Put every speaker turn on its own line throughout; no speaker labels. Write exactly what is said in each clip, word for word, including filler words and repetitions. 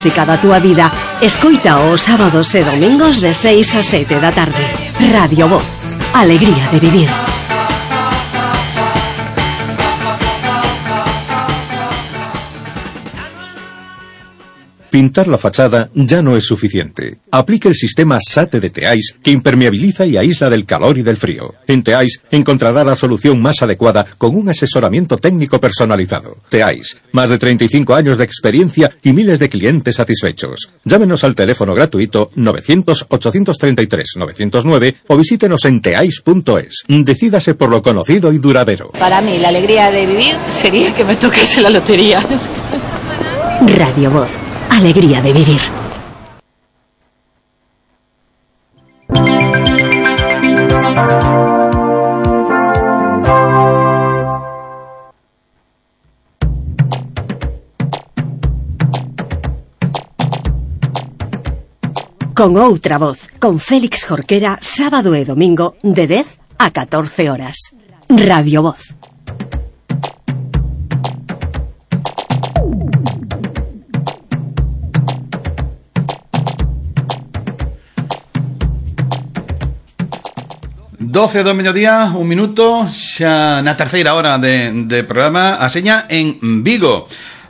Música da túa vida. Escoita os sábados e domingos de seis a sete da tarde. Radio Voz. Alegría de vivir.
Pintar la fachada ya no es suficiente. Aplique el sistema SATE de Teais, que impermeabiliza y aísla del calor y del frío. En Teais encontrará la solución más adecuada con un asesoramiento técnico personalizado. Teais, más de treinta y cinco años de experiencia y miles de clientes satisfechos. Llámenos al teléfono gratuito novecientos, ochocientos treinta y tres, novecientos nueve o visítenos en teais punto es. Decídase por lo conocido y duradero.
Para mí, la alegría de vivir sería que me tocase la lotería.
Radio Voz. Alegría de vivir. Con outra voz, con Félix Jorquera, sábado e domingo, de dez a catorce horas. Radio Voz.
doce do mediodía, un minuto, xa na terceira hora de, de programa, a seña en Vigo.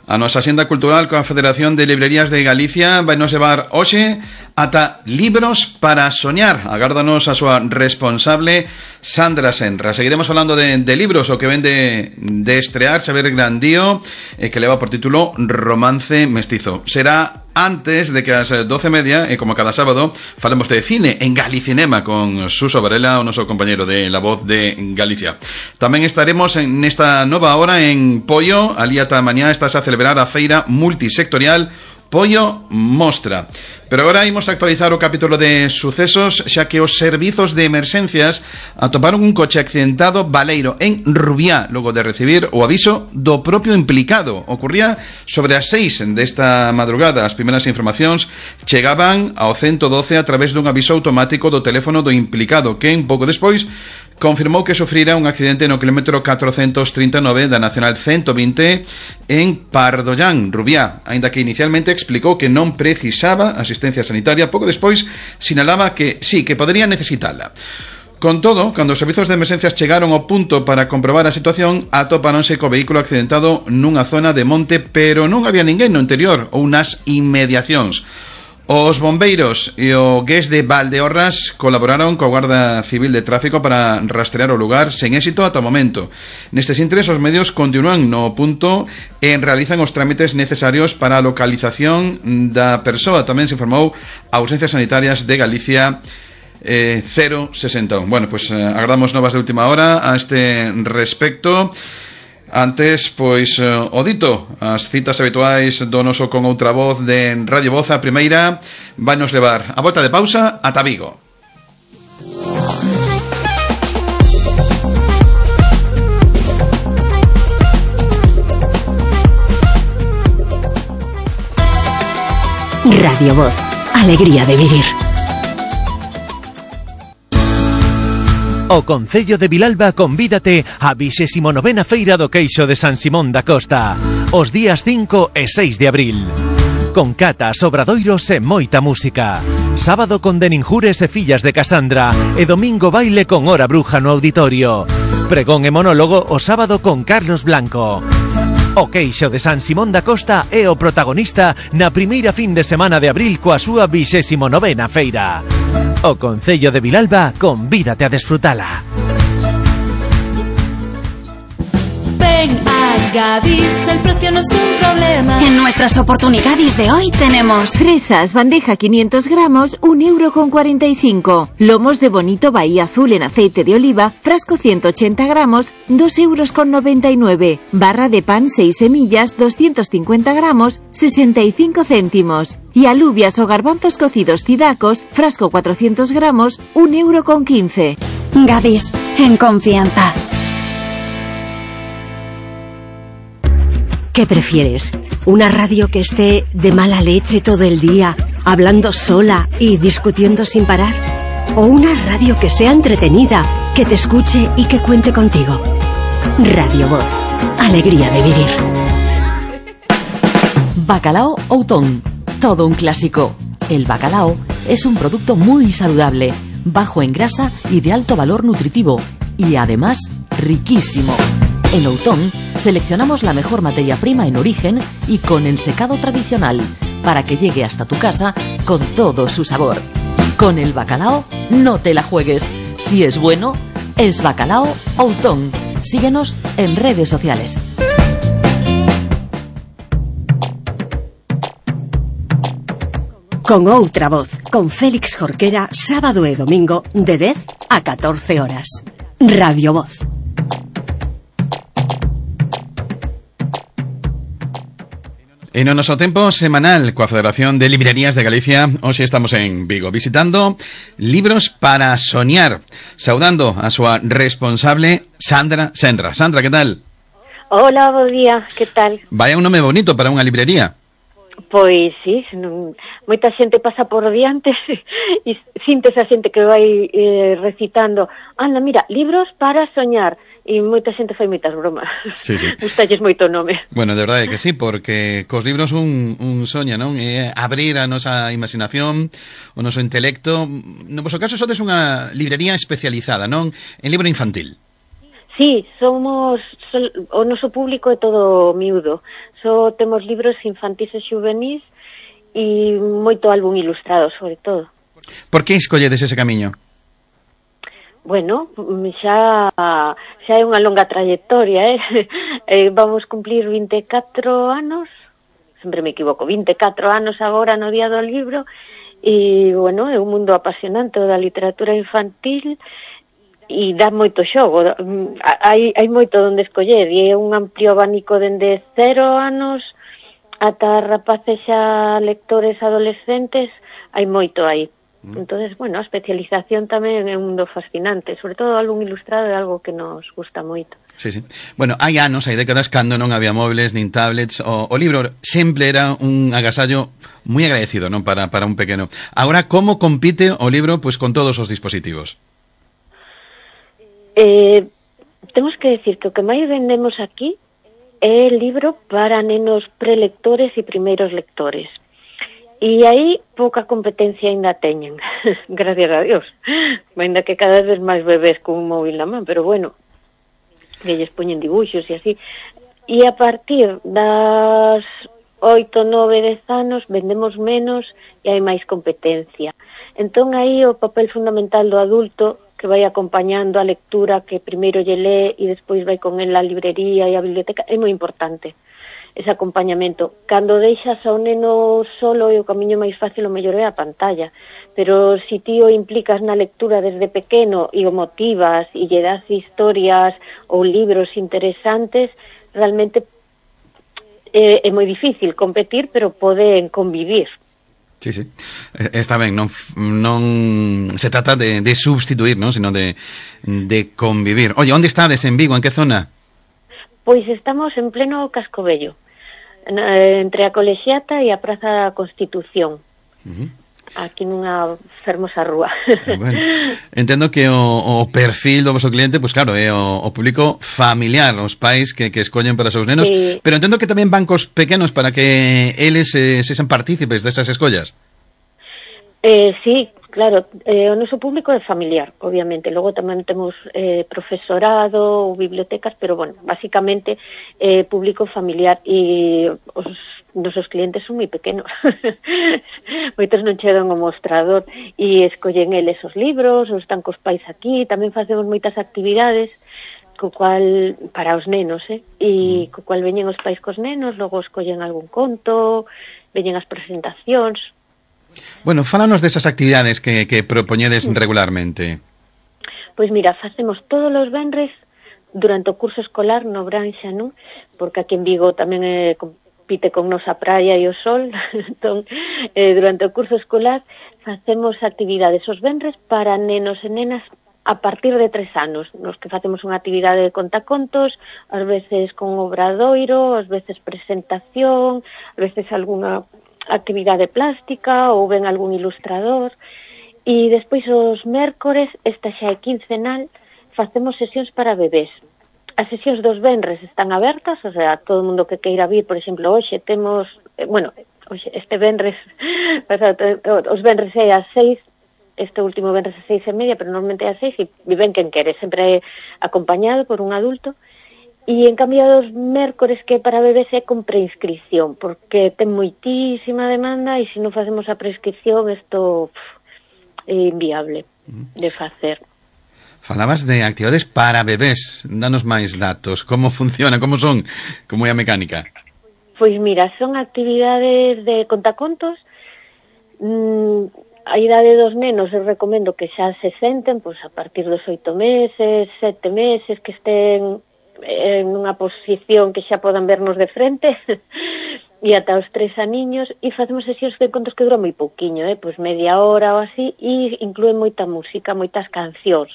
A nosa Axenda Cultural coa Federación de Librerías de Galicia vai nos levar hoxe ata Libros para Soñar. Agárdanos a súa responsable Sandra Senra. Seguiremos falando de, de libros, o que ven de, de estrear Xavier Grandío, eh, que leva por título Romance Mestizo. Será antes de que as doce e media, e como cada sábado, falemos de cine en Galicinema con Suso Varela, o noso compañeiro de La Voz de Galicia. Tamén estaremos en esta nova hora en Pollo. Ali ata mañá estás a celebrar a feira multisectorial Pollo Mostra. Pero agora imos a actualizar o capítulo de sucesos, xa que os servizos de emerxencias atoparon un coche accidentado baleiro en Rubiá, logo de recibir o aviso do propio implicado. Ocurría sobre as seis desta madrugada. As primeiras informacións chegaban ao ciento doce a través dun aviso automático do teléfono do implicado, que un pouco despois confirmou que sufrira un accidente no kilómetro catrocentos trinta e nove da Nacional ciento vinte en Pardollán, Rubiá, aínda que inicialmente explicou que non precisaba asistencia sanitaria. Pouco despois sinalaba que sí, que podería necesitala. Con todo, cando os servizos de emerxencias chegaron ao punto para comprobar a situación, atopáronse co vehículo accidentado nunha zona de monte, pero non había ninguén no interior ou nas inmediacións. Os bombeiros e o G E S de Valdeorras colaboraron coa Guarda Civil de Tráfico para rastrear o lugar sen éxito ata o momento. Nestes intres, os medios continúan no punto e realizan os trámites necesarios para a localización da persoa. Tamén se informou a Urxencias Sanitarias de Galicia eh, cero sesenta e un. Bueno, pues eh, agardamos novas de última hora a este respecto. Antes, pois, o dito, as citas habituais do noso Con Outra Voz de Radio Voz. A primeira vai nos levar a volta de pausa ata Vigo.
Radio Voz. Alegría de vivir.
O Concello de Vilalba convídate á vixésima novena Feira do Queixo de San Simón da Costa, os días cinco e seis de abril. Con catas, obradoiros e moita música. Sábado con Deninjures e Fillas de Casandra e domingo baile con Hora Bruja no auditorio. Pregón e monólogo o sábado con Carlos Blanco. O Queixo de San Simón da Costa é o protagonista na primeira fin de semana de abril coa súa vixésima novena feira. O Concello de Vilalba convídate a desfrutala.
Ven a Gadis, el precio no es un problema.
En nuestras oportunidades de hoy tenemos
fresas, bandeja quinientos gramos, un euro con cuarenta y cinco. Lomos de bonito Bahía Azul en aceite de oliva, frasco ciento ochenta gramos, dos euros con noventa y nueve. Barra de pan seis semillas, doscientos cincuenta gramos, sesenta y cinco céntimos. Y alubias o garbanzos cocidos cidacos, frasco cuatrocientos gramos, un euro con quince.
Gadis, en confianza.
¿Qué prefieres? ¿Una radio que esté de mala leche todo el día, hablando sola y discutiendo sin parar? ¿O una radio que sea entretenida, que te escuche y que cuente contigo? Radio Voz. Alegría de vivir.
Bacalao Outón. todo un clásico. El bacalao es un producto muy saludable, bajo en grasa y de alto valor nutritivo, y además riquísimo. En Outón seleccionamos la mejor materia prima en origen y con ensecado tradicional, para que llegue hasta tu casa con todo su sabor. Con el bacalao no te la juegues. Si es bueno, es bacalao Outón. Síguenos en redes sociales.
Con outra voz, con Félix Jorquera, sábado e domingo, de dez a catorce horas. Radio Voz.
En o noso tempo semanal coa Federación de Librerías de Galicia, hoxe estamos en Vigo, visitando Libros para Soñar, saudando a súa responsable Sandra Senra. Sandra, que tal?
Hola, bo día, que tal?
Vaya un nome bonito para unha librería.
Pois sí, non, moita xente pasa por diante e sintes a xente que vai eh, recitando, anda, mira, libros para soñar, e moita xente fai moitas bromas.
Sí, sí.
Gustalles moito o nome.
Bueno, de verdade que sí, porque cos libros un, un soña, non? É abrir a nosa imaginación, o noso intelecto. No vosso caso sodes unha librería especializada, non? En libro infantil.
Sí, somos, sol, o noso público é todo miúdo. Só temos libros infantis e xuvenís e moito álbum ilustrado, sobre todo.
Por que escolledes ese camiño?
Bueno, xa xa é unha longa trayectoria, eh? eh vamos cumplir vinte e catro anos, sempre me equivoco, vinte e catro anos agora no Día do Libro, e, bueno, é un mundo apasionante da literatura infantil, e dá moito xogo, hai, hai moito onde escoller, e é un amplio abanico dende cero anos ata rapaces xa lectores adolescentes, hai moito aí. Mm. Entonces, bueno, a especialización tamén é un mundo fascinante, sobre todo o álbum ilustrado é algo que nos gusta moito.
Sí, sí. Bueno, hai anos, hai décadas, cando non había móviles nin tablets, o, o libro sempre era un agasallo moi agradecido, non, para, para un pequeno. Agora, como compite o libro pois con todos os dispositivos?
Eh, temos que decir que o que máis vendemos aquí é el libro para nenos prelectores e primeiros lectores. E aí pouca competencia ainda teñen, gracias a Dios. Ainda que cada vez máis bebés con un móvil na man, pero bueno, que lles poñen dibuixos e así. E a partir das oito, nove, dez anos vendemos menos e hai máis competencia. Entón aí o papel fundamental do adulto que vai acompañando a lectura, que primeiro lle lee e despois vai con el á librería e á biblioteca, é moi importante ese acompañamento. Cando deixas ao neno solo e o camiño máis fácil o mellor é a pantalla, pero se ti o implicas na lectura desde pequeno e o motivas e lle das historias ou libros interesantes, realmente é, é moi difícil competir, pero poden convivir.
Sí, sí. Está ben, non, non se trata de, de substituir, non, sino de, de convivir. Oye, onde estades en Vigo? En que zona?
Pois estamos en pleno Cascobello, entre a Colexiata e a Praza da Constitución. Uh-huh. Aquí nunha fermosa rúa.
Bueno, entendo que o, o perfil do vosso cliente, pois pues claro, é o, o público familiar, os pais que, que escollen para os seus nenos, sí. Pero entendo que tamén van cos pequenos para que eles eh, sexan partícipes desas escollas.
Eh, sí, claro, eh, o noso público é familiar, obviamente. Logo tamén temos eh, profesorado ou bibliotecas, pero, bueno, basicamente eh, público familiar, e os nosos clientes son moi pequenos. Moitos non chegan ao mostrador e escollen eles os libros, ou están cos pais aquí. Tamén facemos moitas actividades co cual, para os nenos, eh? E co cual veñen os pais cos nenos, logo escollen algún conto, veñen as presentacións.
Bueno, fálanos desas actividades que, que propoñedes regularmente.
Pois mira, facemos todos os venres durante o curso escolar no Branxa, non? Porque aquí en Vigo tamén é compite con nosa praia e o sol. Entón, eh, durante o curso escolar facemos actividades os venres para nenos e nenas a partir de tres anos, nos que facemos unha actividade de contacontos, ás veces con obradoiro, ás veces presentación, ás veces algunha actividade plástica ou ben algún ilustrador. E despois os mércores, esta xa é quincenal, facemos sesións para bebés. As sesións dos venres están abertas, o sea, todo o mundo que queira vir, por exemplo, hoxe temos, eh, bueno, este venres, os venres é ás seis, este último venres a seis e media, pero normalmente é a seis, e viven quen quere, sempre acompañado por un adulto. E en cambio os mércores que para bebés é con preinscripción, porque ten moitísima demanda e se non facemos a prescripción isto é inviable de facer.
Falabas de actividades para bebés, danos máis datos, como funciona, como son, como é a mecánica?
Pois mira, son actividades de contacontos. Mm, a idade dos nenos eu recomendo que xa se senten pois a partir dos oito meses, sete meses, que estén en unha posición que xa podan vernos de frente e ata os tres aniños, e facemos sesións de contos que duran moi pouquiño, eh? Pois media hora ou así, e inclúen moita música, moitas cancións,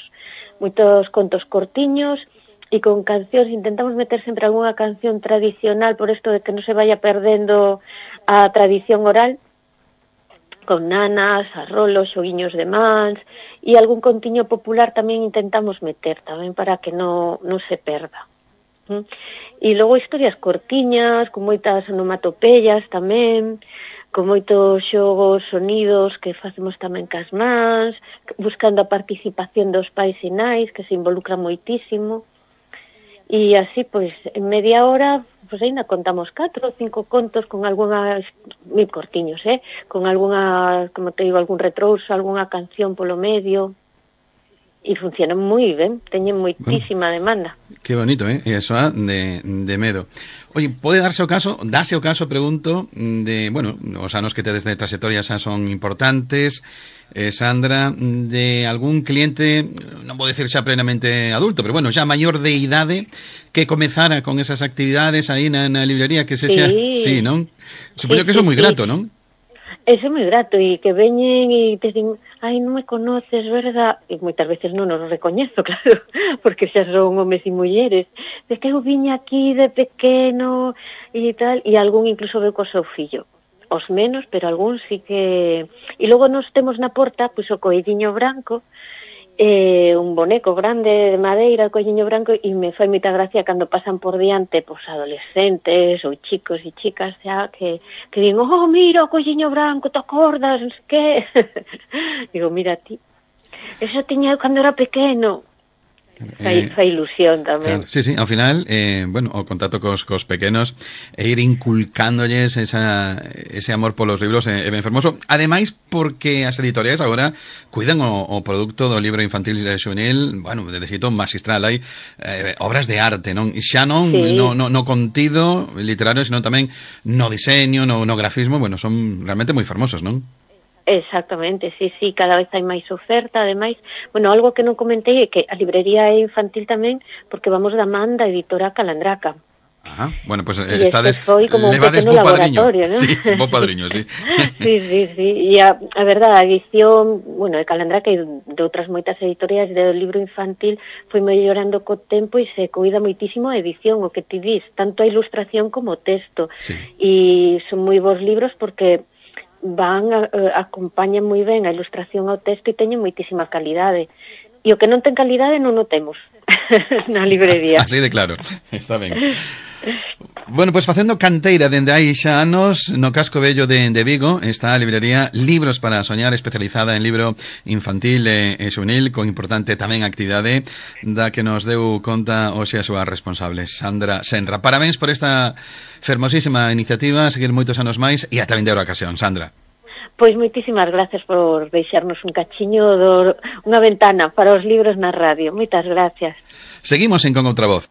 moitos contos cortiños, e con cancións intentamos meter sempre algunha canción tradicional por isto de que non se vaya perdendo a tradición oral, con nanas, arrolos, xoguiños de mans, e algún contiño popular tamén intentamos meter tamén para que non, non se perda. ¿Mm? E logo historias cortiñas, con moitas onomatopeyas tamén, con moitos xogos, sonidos que facemos tamén cas mans, buscando a participación dos pais e nais, que se involucran moitísimo. E así, pois, en media hora, pois ainda contamos catro ou cinco contos con algunhas, moi cortiños, eh? Con algunha, como te digo, algún retrouso, algunha canción polo medio. E funciona moi ben, teñen moitísima bueno, demanda.
Que bonito, eh? E eso de, de medo. Oye, pode darse o caso, darse o caso, pregunto, de, bueno, os anos que tedes de trayectoria xa son importantes, eh, Sandra, de algún cliente, non vou decir xa plenamente adulto, pero bueno, xa maior de idade, que comezara con esas actividades aí na, na librería, que se xa, sí, sí, non? Supoño sí, que eso é sí, moi grato, sí. Non?
Eso é moi grato, e que veñen e te din, ai, non me conoces, verdad? E moitas veces non os recoñezo, claro, porque xa son homes e mulleres. De que eu viña aquí de pequeno e tal, e algún incluso veu co seu fillo. Os menos, pero algún sí que... E logo nos temos na porta, pois o coelliño branco, eh, un boneco grande de madeira, coelliño branco, e me fai moita gracia cando pasan por diante pois adolescentes ou chicos e chicas xa que, que din, oh, mira o coelliño branco, te acordas, non sei que. Digo, mira ti, eso tiña eu cando era pequeno. Fai, eh, fai ilusión tamén.
Claro, sí, sí, ao final, eh, bueno, o contacto cos, cos pequenos e ir inculcándolles esa, ese amor polos libros é, é ben fermoso. Ademais, porque as editoriais agora cuidan o, o produto do libro infantil e xuvenil, bueno, de xeito magistral, hai eh, obras de arte, non? E xa non sí. no, no, no contido literario, senón tamén no diseño, no, no grafismo, bueno, son realmente moi fermosos, non?
Exactamente, sí, sí, cada vez hai máis oferta, ademais, bueno, algo que non comentei é que a librería é infantil tamén porque vamos da man da editora Calandraca.
Ajá, bueno, pues eh, estades,
foi como un pequeno laboratorio, ¿no?
Sí, un bo padriño, sí.
Sí, sí, sí, e a, a verdade, a edición, bueno, de Calandraca e de outras moitas editorias do libro infantil foi mellorando co tempo e se cuida moitísimo a edición, o que ti dis, tanto a ilustración como o texto.
Sí.
E son moi bons libros porque van, a, a, acompañan moi ben a ilustración ao texto e teñen moitísima calidade. E o que non ten calidade non o temos na librería.
Así de claro, está ben. Bueno, pois pues, facendo canteira dende hai xa anos no casco vello de, de Vigo está a librería Libros para Soñar, especializada en libro infantil e, e xuvenil, con importante tamén actividade da que nos deu conta hoxe a súa responsable, Sandra Senra. Parabéns por esta fermosísima iniciativa, seguir moitos anos máis e ata vindeira ocasión, Sandra.
Pois moitísimas gracias por deixarnos un cachiño, do, unha ventana para os libros na radio. Moitas gracias.
Seguimos en Con Outra Voz.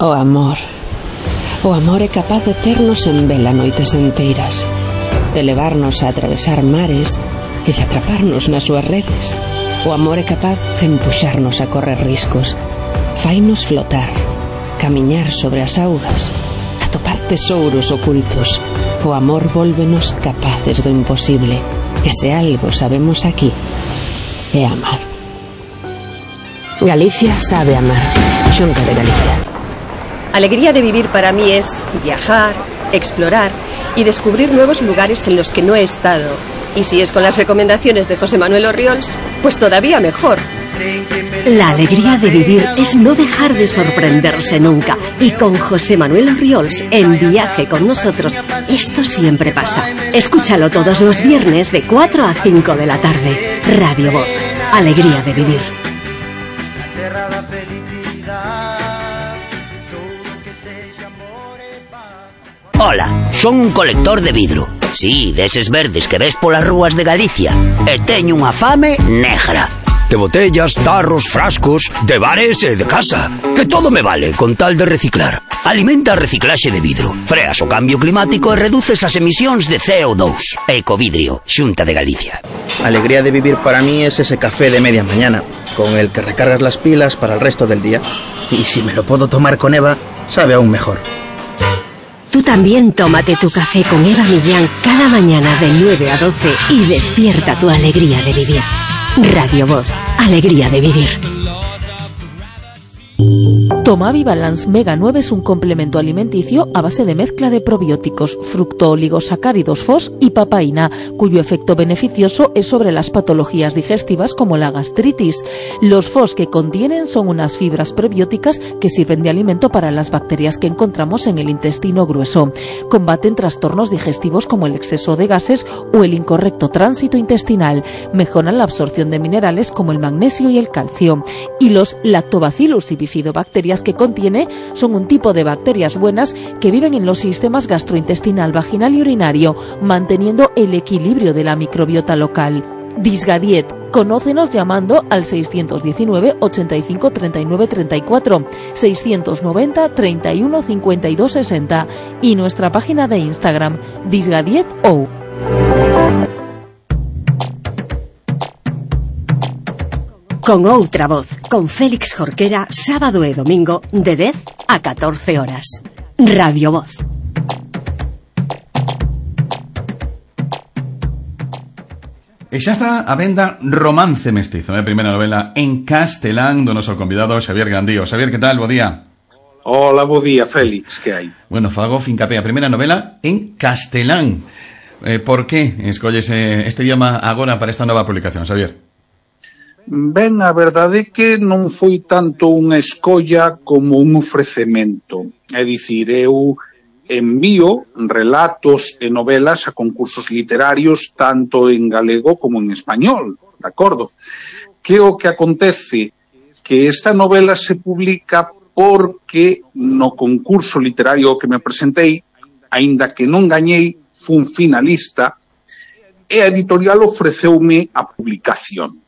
O amor. O amor é capaz de ternos en vela noites enteiras, de levarnos a atravesar mares e de atraparnos nas súas redes. O amor é capaz de empuxarnos a correr riscos, fainos flotar, camiñar sobre as augas, atopar tesouros ocultos. O amor vólvenos capaces do imposible. E se algo sabemos aquí, é amar. Galicia sabe amar. Xunta de Galicia.
Alegría de vivir para mí es viajar, explorar y descubrir nuevos lugares en los que no he estado. Y si es con las recomendaciones de José Manuel Orriols, pues todavía mejor.
La alegría de vivir es no dejar de sorprenderse nunca. Y con José Manuel Orriols, en Viaje con nosotros, esto siempre pasa. Escúchalo todos los viernes de cuatro a cinco de la tarde. Radio Voz. Alegría de vivir.
Ola, son un colector de vidro. Sí, deses verdes que ves polas rúas de Galicia. E teño unha fame negra. De botellas, tarros, frascos, de bares e de casa. Que todo me vale con tal de reciclar. Alimenta a reciclaxe de vidro. Freas o cambio climático e reduces as emisións de C O dos. Ecovidrio, Xunta de Galicia.
Alegría de vivir para mí es ese café de media mañana, con el que recargas las pilas para el resto del día. Y si me lo puedo tomar con Eva, sabe aún mejor.
Tú también tómate tu café con Eva Millán cada mañana de nueve a doce y despierta tu alegría de vivir. Radio Voz, alegría de vivir.
Tomavi Balance Mega nueve es un complemento alimenticio a base de mezcla de probióticos, fructooligosacáridos F O S y papaína, cuyo efecto beneficioso es sobre las patologías digestivas como la gastritis. Los F O S que contienen son unas fibras prebióticas que sirven de alimento para las bacterias que encontramos en el intestino grueso. Combaten trastornos digestivos como el exceso de gases o el incorrecto tránsito intestinal. Mejoran la absorción de minerales como el magnesio y el calcio. Y los lactobacillus y bifidobacterias que contiene son un tipo de bacterias buenas que viven en los sistemas gastrointestinal, vaginal y urinario, manteniendo el equilibrio de la microbiota local. Disgadiet. Conócenos llamando al seiscientos diecinueve, ochenta y cinco, treinta y nueve, treinta y cuatro, seiscientos noventa, treinta y uno, cincuenta y dos, sesenta y nuestra página de Instagram, disgadietou.
Con outra voz, con Félix Jorquera, sábado e domingo, de dez a catorce horas. Radio Voz.
E xa está a venda Romance Mestizo, a primeira novela en castelán do noso convidado Xavier Gandío. Xavier, que tal? Bo día.
Hola, bo día, Félix, que hai?
Bueno, fago fincapé a primeira novela en castelán. Eh, por que escolles este idioma agora para esta nova publicación, Xavier?
Ben, a verdade é que non foi tanto unha escolla como un ofrecemento. É dicir, eu envío relatos e novelas a concursos literarios tanto en galego como en español, de acordo? Que o que acontece? Que esta novela se publica porque no concurso literario que me presentei, aínda que non gañei, fun finalista, e a editorial ofreceume a publicación.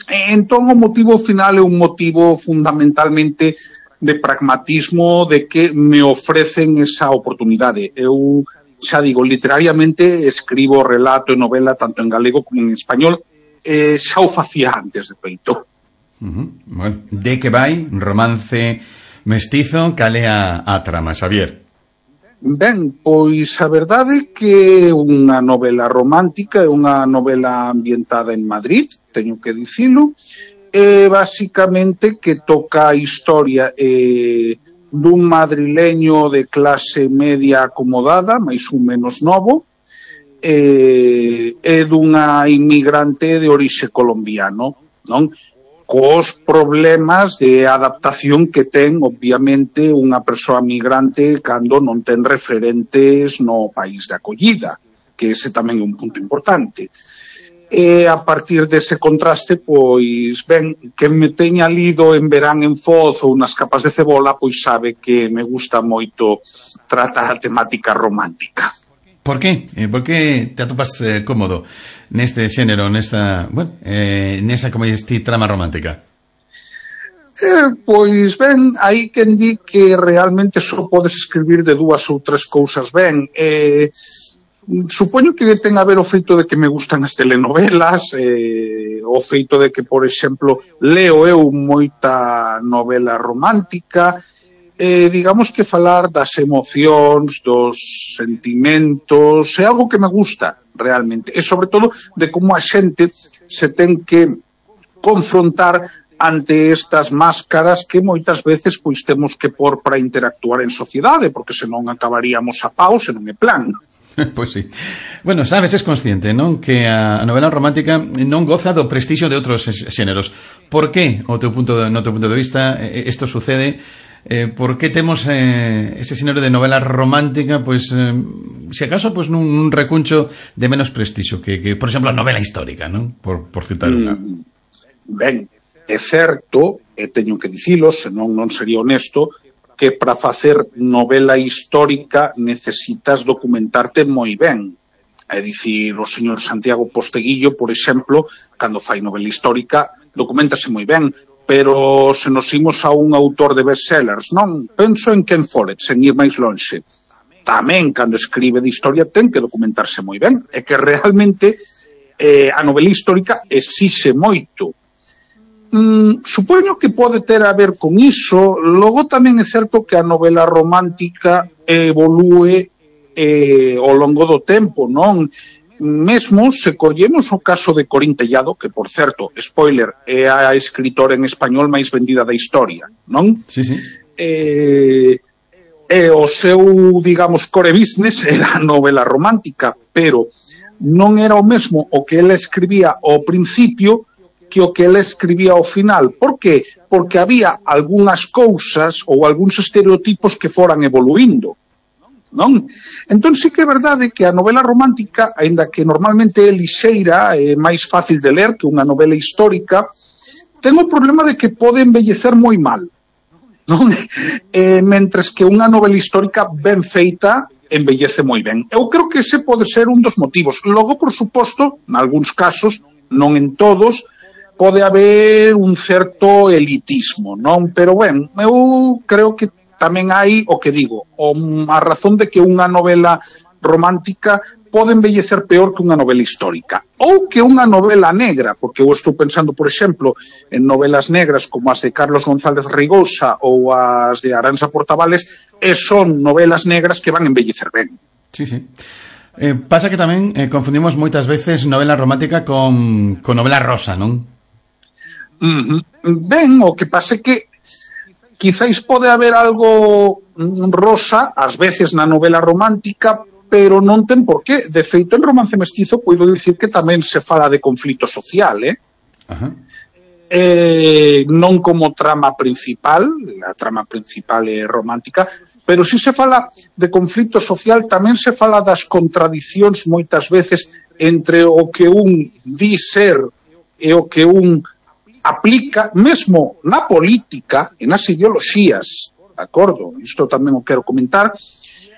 Entón, o motivo final é un motivo fundamentalmente de pragmatismo, de que me ofrecen esa oportunidade. Eu, xa digo, literariamente escribo relato e novela tanto en galego como en español, e xa o facía antes de feito.
Uh-huh. Bueno, de que vai Romance Mestizo? Cal é a, a trama, Xavier?
Ben, pois a verdade é que é unha novela romántica, é unha novela ambientada en Madrid, teño que dicilo, e basicamente que toca a historia eh, dun madrileño de clase media acomodada, máis ou menos novo, eh, e dunha inmigrante de orixe colombiano, non? Cos problemas de adaptación que ten, obviamente, unha persoa migrante cando non ten referentes no país de acollida, que ese tamén é un punto importante. E a partir dese contraste, pois, ben, que me teña lido en Verán en Foz ou nas Capas de Cebola, pois sabe que me gusta moito tratar a temática romántica.
Por qué? Eh, por que te atopas eh, cómodo neste xénero, nesta, bueno, eh, nesa, como diste, trama romántica?
Eh, pois ben, hai quen di que realmente só podes escribir de dúas ou tres cousas ben. Eh, supoño que ten a ver o feito de que me gustan as telenovelas, eh, o feito de que, por exemplo, leo eu moita novela romántica. Eh, digamos que falar das emocións, dos sentimentos, é algo que me gusta realmente, e sobre todo de como a xente se ten que confrontar ante estas máscaras que moitas veces pois temos que pôr para interactuar en sociedade, porque senón acabaríamos a pau, se non é plan.
Pois sí. Bueno, sabes, es consciente, non? Que a novela romántica non goza do prestixio de outros xéneros. Por que, o teu punto de, no teu punto de vista, isto sucede? Eh, por que temos eh, ese xénero de novela romántica, pois, eh, se acaso, pois, nun, nun recuncho de menos prestixio que, que, por exemplo, a novela histórica, non? Por, por citar unha.
Mm, ben, é certo, e teño que dicilo, senón non sería honesto, que para facer novela histórica necesitas documentarte moi ben. É dicir, o señor Santiago Posteguillo, por exemplo, cando fai novela histórica, documentase moi ben, pero se nos imos a un autor de bestsellers, non? Penso en Ken Follett, sen ir máis lonxe. Tamén, cando escribe de historia, ten que documentarse moi ben. É que realmente eh, a novela histórica exixe moito. Mm, supoño que pode ter a ver con iso. Logo tamén é certo que a novela romántica evolúe eh, ao longo do tempo, non? Mesmo se collemos o caso de Corín Tellado, que, por certo, spoiler, é a escritora en español máis vendida da historia, non?
Sí, sí.
Eh, e o seu, digamos, core business era a novela romántica, pero non era o mesmo o que ela escribía ao principio que o que ela escribía ao final. Por que? Porque había algunhas cousas ou algúns estereotipos que foran evoluindo, non? Entón sí que é verdade que a novela romántica, aínda que normalmente é lixeira, é máis fácil de ler que unha novela histórica, ten o problema de que pode embellecer moi mal, non? Eh, mentres que unha novela histórica ben feita embellece moi ben. Eu creo que ese pode ser un dos motivos. Logo, por suposto, nalgúns casos, non en todos, pode haber un certo elitismo, non? Pero, ben, eu creo que tamén hai o que digo, a razón de que unha novela romántica pode embellecer peor que unha novela histórica. Ou que unha novela negra, porque eu estou pensando, por exemplo, en novelas negras como as de Carlos González Rigosa ou as de Aranza Portavales, e son novelas negras que van embellecer ben.
Sí, sí. Eh, pasa que tamén eh, confundimos moitas veces novela romántica con, con novela rosa, non?
Mm-hmm. Ben, o que pasa é que quizáis pode haber algo rosa ás veces na novela romántica, pero non ten por qué. De feito, en Romance Mestizo podo dicir que tamén se fala de conflito social, eh?
Ajá.
Eh, non como trama principal, a trama principal é romántica, pero si se fala de conflito social, tamén se fala das contradicións moitas veces entre o que un di ser e o que un aplica, mesmo na política e nas ideoloxías, de acordo? Isto tamén o quero comentar,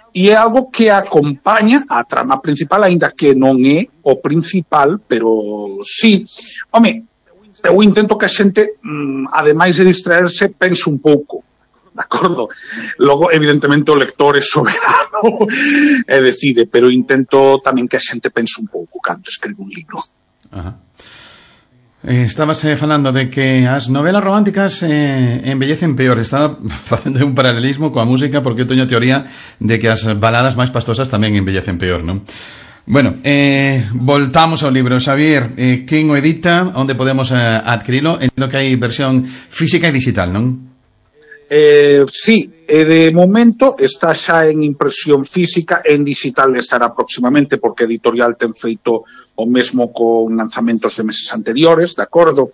e é algo que acompaña a trama principal, aínda que non é o principal, pero sí. Home, eu intento que a xente, ademais de distraerse, pense un pouco, de acordo? Logo, evidentemente, o lector é soberano e decide, pero intento tamén que a xente pense un pouco cando escribe un libro.
Ajá. Eh, estabas eh, falando de que as novelas románticas eh, embellecen peor. Estaba facendo un paralelismo coa música, porque eu teño a teoría de que as baladas máis pastosas tamén embellecen peor, non? Bueno, eh, voltamos ao libro. Xavier, eh, quen o edita? Onde podemos eh, adquirilo? Entendo que hai versión física e digital, non?
Eh, sí, e de momento está xa en impresión física, en digital estará próximamente, porque a editorial ten feito o mesmo con lanzamentos de meses anteriores, de acordo?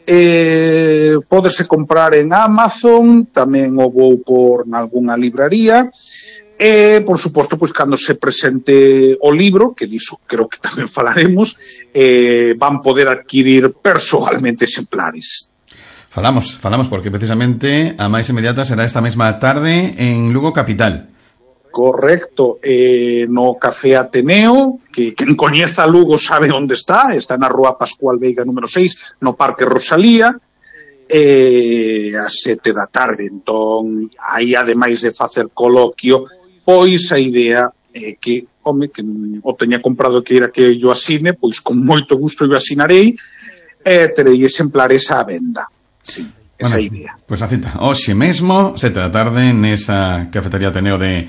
Eh, pódese comprar en Amazon, tamén o vou por nalgúna libraría, e, por suposto, pois, cando se presente o libro, que diso creo que tamén falaremos, eh, van poder adquirir personalmente exemplares.
Falamos, falamos porque precisamente a máis inmediata será esta mesma tarde en Lugo Capital.
Correcto, eh, no Café Ateneo, que quen coñeza Lugo sabe onde está, está na Rúa Pascual Veiga número seis, no Parque Rosalía, eh, a sete da tarde. Entón, aí ademais de facer coloquio, pois a idea é que, home, que o teña comprado que ir a que yo asine, pois con moito gusto eu asinarei, e terei exemplares á venda. Sí, esa
bueno,
idea.
Pois pues a cita, hoxe mesmo, sete da tarde, nesa cafetería Ateneo de,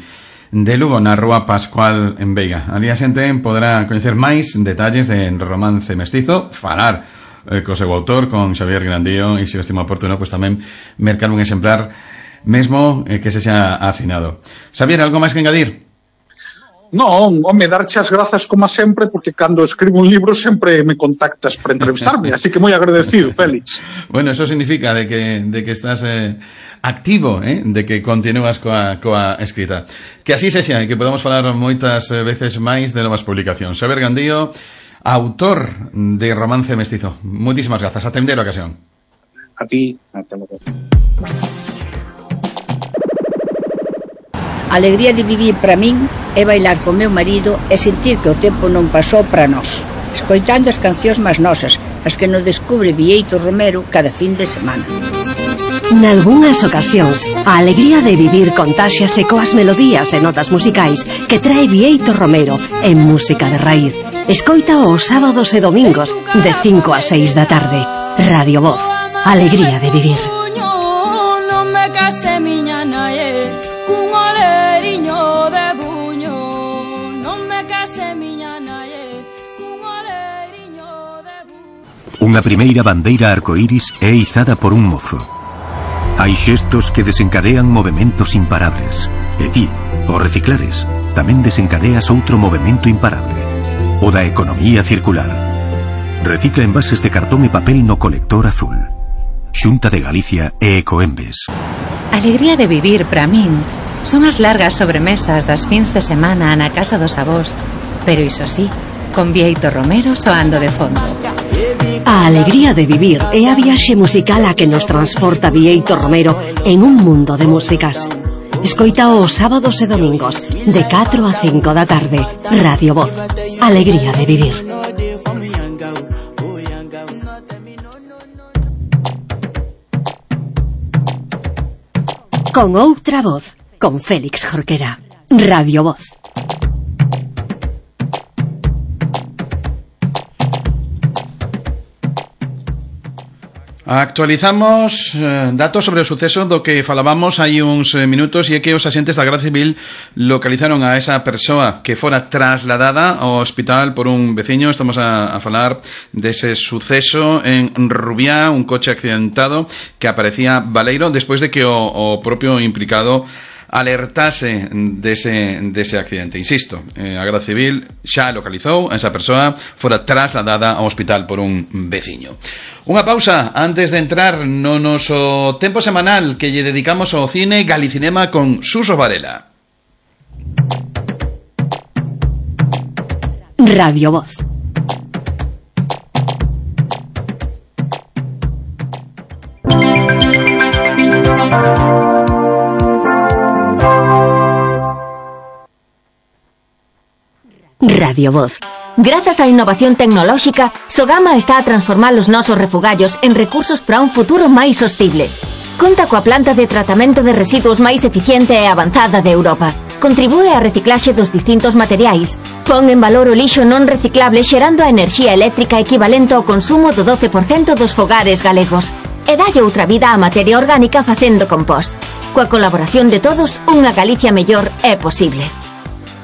de Lugo, na Rúa Pascual en Veiga. Ali a xente poderá coñecer máis detalles de Romance Mestizo, falar eh, co seu autor, con Xavier Grandío, e se o estima oportuno, pois pues, tamén mercar un exemplar mesmo eh, que se xa asinado. Xavier, algo máis que engadir?
Non, home, darche as grazas como sempre, porque cando escribo un libro sempre me contactas para entrevistarme, así que moi agradecido, Félix.
Bueno, eso significa de que, de que estás eh, activo, eh, de que continúas coa, coa escrita. Que así se xa, e que podamos falar moitas veces máis de novas publicacións. Xavier Gandío, autor de Romance Mestizo. Moitísimas grazas, ata a ocasión.
A ti, ata logo.
A alegría de vivir para min é bailar con meu marido e sentir que o tempo non pasou para nós, escoitando as cancións máis nosas, as que nos descubre Bieito Romero cada fin de semana.
Nalgúnas ocasións, a alegría de vivir contáxiase coas melodías e notas musicais que trae Bieito Romero en Música de Raíz. Escoita os sábados e domingos de cinco a seis da tarde. Radio Voz, alegría de vivir.
Unha primeira bandeira arcoíris é izada por un mozo. Hai xestos que desencadean movementos imparables. E ti, ao reciclares, tamén desencadeas outro movemento imparable. O da economía circular. Recicla envases de cartón e papel no colector azul. Xunta de Galicia e Ecoembes.
Alegría de vivir para min son as largas sobremesas das fins de semana na casa dos avós, pero iso sí, con Bieito Romero soando de fondo.
A alegría de vivir é a viaxe musical a que nos transporta Bieito Romero en un mundo de músicas. Escoita os sábados e domingos de catro a cinco da tarde. Radio Voz, alegría de vivir. Con outra voz, con Félix Jorquera. Radio Voz.
Actualizamos eh, datos sobre o suceso do que falábamos hai uns eh, minutos, e é que os axentes da Garda Civil localizaron a esa persoa que fora trasladada ao hospital por un veciño. Estamos a, a falar dese suceso en Rubiá, un coche accidentado que aparecía baleiro despois de que o, o propio implicado alertase dese, dese accidente. Insisto, eh, a Garda Civil xa localizou a esa persoa, fora trasladada ao hospital por un veciño. Unha pausa antes de entrar no noso tempo semanal que lle dedicamos ao cine Galicinema con Suso Varela.
Radio Voz. Radio Voz.
Grazas á innovación tecnolóxica, Sogama está a transformar os nosos refugallos en recursos para un futuro máis sostible. Conta coa planta de tratamento de residuos máis eficiente e avanzada de Europa. Contribúe á reciclaxe dos distintos materiais. Pon en valor o lixo non reciclable xerando a enerxía eléctrica equivalente ao consumo do doce por cento dos fogares galegos. E dalle outra vida á materia orgánica facendo compost. Coa colaboración de todos, unha Galicia mellor é posible.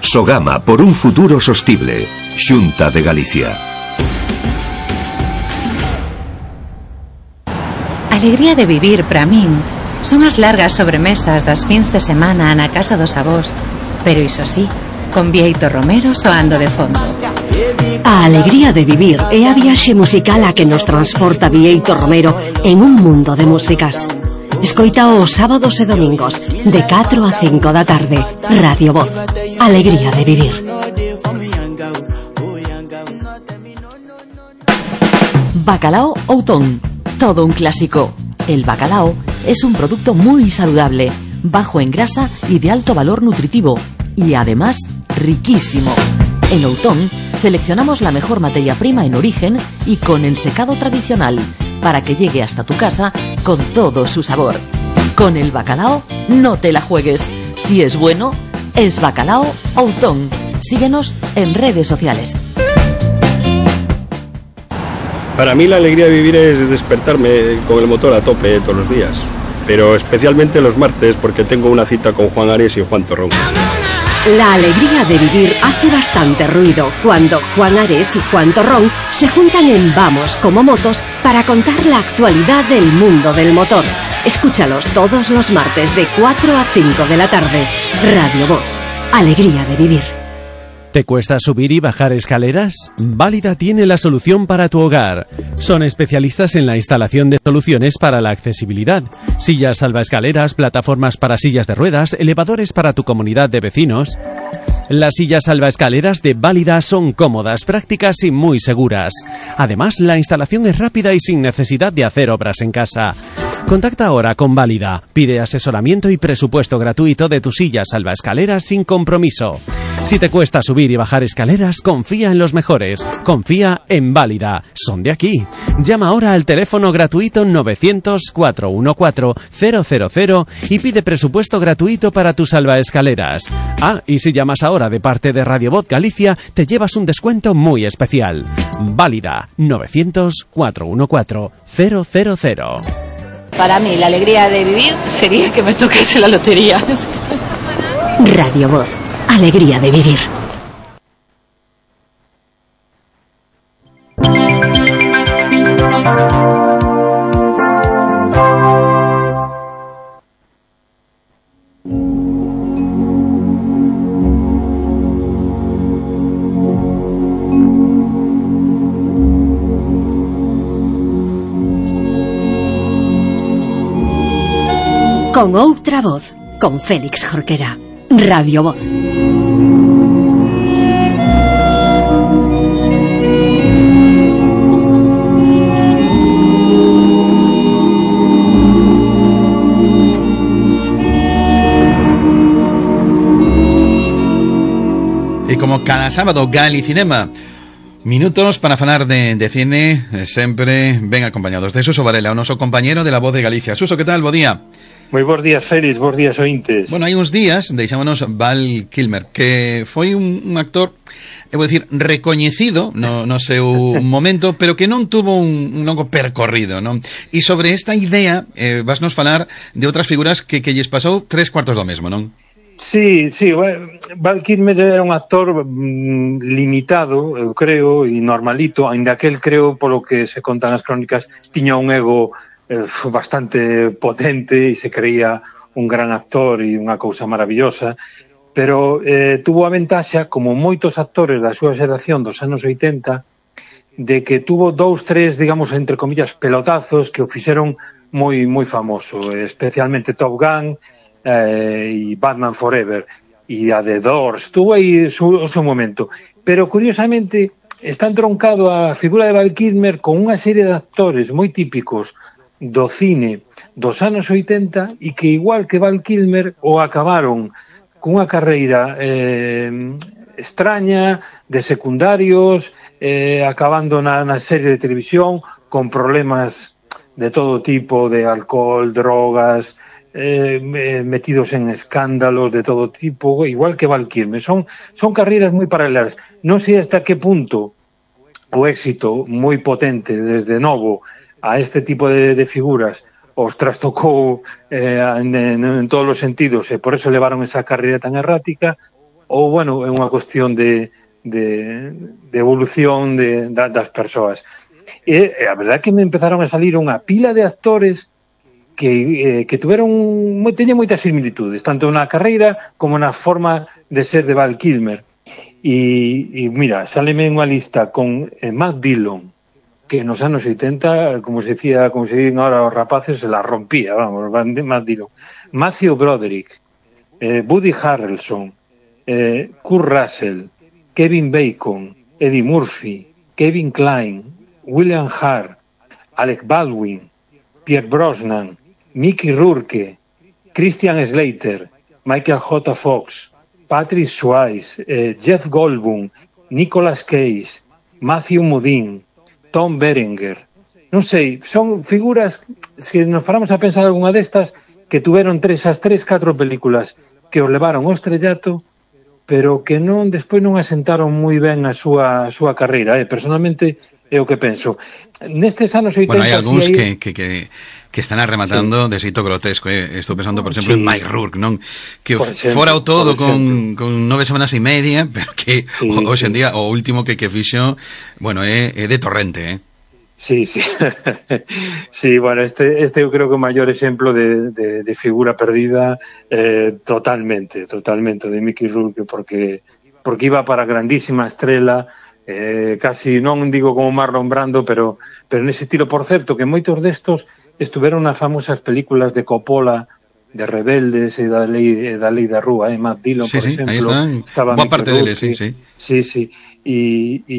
Sogama por un futuro sostible. Xunta de Galicia.
Alegría de vivir para min son as largas sobremesas das fins de semana na casa dos avós, pero iso sí, con Bieito Romero soando de fondo.
A alegría de vivir é a viaxe musical a que nos transporta Bieito Romero en un mundo de músicas. Escoita os sábados e domingos de catro a cinco da tarde. Radio Voz, alegría de vivir.
Bacalao Outón, todo un clásico. El bacalao es un producto muy saludable, bajo en grasa y de alto valor nutritivo, y además riquísimo. En Outón seleccionamos la mejor materia prima en origen y con el secado tradicional, para que llegue hasta tu casa con todo su sabor. Con el bacalao no te la juegues. Si es bueno, es Bacalao Outón. Síguenos en redes sociales.
Para mí la alegría de vivir es despertarme con el motor a tope todos los días, pero especialmente los martes porque tengo una cita con Juan Ares y Juan Torrón.
La alegría de vivir hace bastante ruido cuando Juan Ares y Juan Torrón se juntan en Vamos como Motos para contar la actualidad del mundo del motor. Escúchalos todos los martes de cuatro a cinco de la tarde. Radio Voz, alegría de vivir.
¿Te cuesta subir y bajar escaleras? Válida tiene la solución para tu hogar. Son especialistas en la instalación de soluciones para la accesibilidad. Sillas salvaescaleras, plataformas para sillas de ruedas, elevadores para tu comunidad de vecinos. Las sillas salvaescaleras de Válida son cómodas, prácticas y muy seguras. Además, la instalación es rápida y sin necesidad de hacer obras en casa. Contacta ahora con Válida. Pide asesoramiento y presupuesto gratuito de tu silla salvaescaleras sin compromiso. Si te cuesta subir y bajar escaleras, confía en los mejores. Confía en Válida. Son de aquí. Llama ahora al teléfono gratuito novecientos, cuatrocientos catorce, cero cero cero y pide presupuesto gratuito para tus salvaescaleras. Ah, y si llamas ahora de parte de Radio Voz Galicia, te llevas un descuento muy especial. Válida. novecientos, cuatrocientos catorce, cero cero cero.
Para mí, la alegría de vivir sería que me tocase la lotería.
Radio Voz. Alegría de vivir. Con outra voz, con Félix Jorquera. Radio Voz.
Y como cada sábado, Galicinema. Minutos para falar de, de cine, eh, sempre ben acompañados de Suso Varela, o noso compañero de La Voz de Galicia. Suso, que tal? Bo día.
Moi bons días, Félix, bons días, ointes.
Bueno, hai uns días deixámonos Val Kilmer, que foi un, un actor, eu vou dicir, recoñecido no, no seu momento, pero que non tuvo un, un longo percorrido, non? E sobre esta idea, eh, vasnos falar de outras figuras que, que lles pasou tres cuartos do mesmo, non?
Sí, sí, Val Kilmer era un actor mm, limitado, eu creo, e normalito, ainda que el, creo, polo que se contan as crónicas, tiña un ego eh, bastante potente e se creía un gran actor e unha cousa maravillosa, pero eh, tuvo a ventaxa, como moitos actores da súa xeración dos anos oitenta, de que tuvo dous, tres, digamos, entre comillas, pelotazos que o fixeron moi moi famoso, especialmente Top Gun, Eh, e Batman Forever e a The Doors, tuvo aí su, o seu momento, pero curiosamente está entroncado a figura de Val Kilmer con unha serie de actores moi típicos do cine dos anos oitenta e que igual que Val Kilmer o acabaron cunha carreira eh, extraña de secundarios, eh, acabando na, na serie de televisión con problemas de todo tipo, de alcohol, drogas, Eh, metidos en escándalos de todo tipo, igual que Val Kilmer. Son, son carreiras moi paralelas. Non sei hasta que punto o éxito moi potente desde novo a este tipo de, de figuras os trastocou eh, en, en, en todos os sentidos e por eso levaron esa carreira tan errática, ou, bueno, é unha cuestión de, de, de evolución de, de, das persoas. E a verdade é que me empezaron a salir unha pila de actores que, eh, que tuveron, teñen moitas similitudes, tanto na carreira como na forma de ser de Val Kilmer. E, e mira, sáleme unha lista con eh, Matt Dillon, que nos anos oitenta, como se decía, como se dicen ahora os rapaces, se la rompía, vamos, Matt Dillon. Matthew Broderick, eh, Woody Harrelson, eh, Kurt Russell, Kevin Bacon, Eddie Murphy, Kevin Kline, William Hart, Alec Baldwin, Pierce Brosnan, Mickey Rourke, Christian Slater, Michael J. Fox, Patrick Swayze, eh, Jeff Goldblum, Nicolas Cage, Matthew Modine, Tom Berenger. Non sei, son figuras, se nos paramos a pensar algunha destas, que tuveron tres, as tres, catro películas que os levaron ao estrellato, pero que non despois non asentaron moi ben a súa, a súa carreira. Eh? Personalmente, é o que penso. Nestes anos oitenta...
Bueno, hai algúns
si hai...
que, que, que están arrematando sí. de xeito grotesco. Eh? Estou pensando, por exemplo, sí. en Mike Rourke, non? Que exemplo, fora o todo con, con nove semanas e media, pero que sí, hoxe sí. en día o último que, que fixo, bueno, é, é de torrente, eh?
Sí, sí. Sí, bueno, este, este eu creo que é o maior exemplo de, de, de figura perdida eh, totalmente, totalmente, de Mickey Rourke, porque porque iba para a grandísima estrela, eh, casi non digo como Marlon Brando, pero pero nese estilo. Por certo, que moitos destos estuveron nas famosas películas de Coppola, de Rebeldes e da lei, da lei da rúa, eh? Matt Dillon,
sí,
por
sí,
exemplo.
Aí están,
estaba
boa parte deles, sí, sí.
Sí, sí, e, e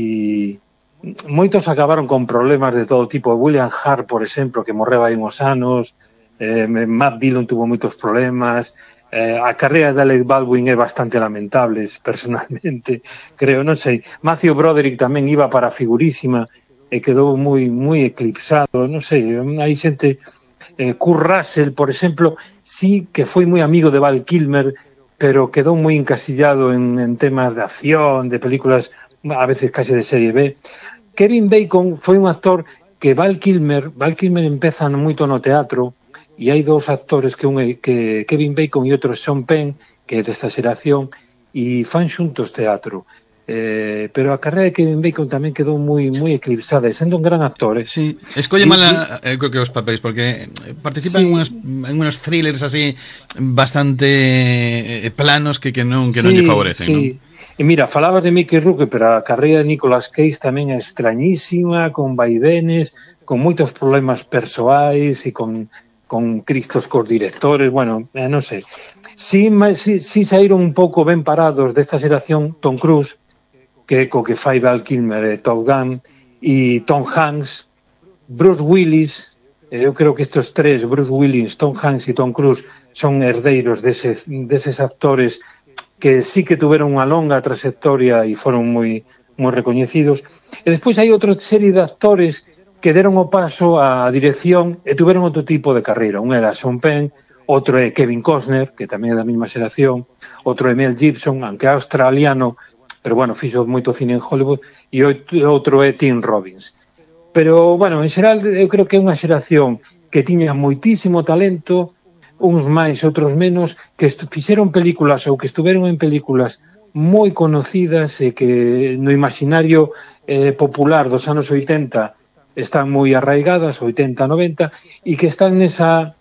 moitos acabaron con problemas de todo tipo. William Hart, por exemplo, que morreu hai uns anos, eh, Matt Dillon tuvo moitos problemas, eh, a carreira de Alec Baldwin é bastante lamentable, personalmente, creo, non sei. Matthew Broderick tamén iba para a figurísima e quedou moi moi eclipsado, non sei, hai xente, eh, Kurt Russell, por exemplo, sí que foi moi amigo de Val Kilmer, pero quedou moi encasillado en, en temas de acción, de películas a veces case de serie B. Kevin Bacon foi un actor que Val Kilmer, Val Kilmer empeza moito no teatro, e hai dous actores, que un é que Kevin Bacon e outro Sean Penn, que é desta xeración, e fan xuntos teatro. Eh, pero a carreira de Kevin Bacon tamén quedou moi moi eclipsada, e sendo un gran actor. Eh.
Sí, escolle mala, eh, creo que os papéis, porque participa sí. en unos, en unos thrillers así bastante planos que, que non que non sí, lle favorecen, sí. non?
E mira, falabas de Mickey Rourke, pero a carreira de Nicolas Cage tamén é extrañísima, con vaivenes, con moitos problemas persoais e con con cristos cos directores, bueno, eh, non sei. Si, si, si saíron un pouco ben parados desta xeración Tom Cruise, que co que fai Val Kilmer e Top Gun, e Tom Hanks, Bruce Willis, eh, eu creo que estes tres, Bruce Willis, Tom Hanks e Tom Cruise, son herdeiros deses, deses actores que sí que tuveron unha longa trayectoria e foron moi moi recoñecidos. E despois hai outra serie de actores que deron o paso á dirección e tuveron outro tipo de carreira. Un era Sean Penn, outro é Kevin Costner, que tamén é da mesma xeración, outro é Mel Gibson, aunque é australiano, pero bueno, fixo moito cine en Hollywood, e outro é Tim Robbins. Pero, bueno, en xeral, eu creo que é unha xeración que tiña moitísimo talento, uns máis, outros menos, que fixeron películas ou que estuveron en películas moi conocidas e que no imaginario eh, popular dos anos oitenta están moi arraigadas, oitenta, noventa, e que están nesa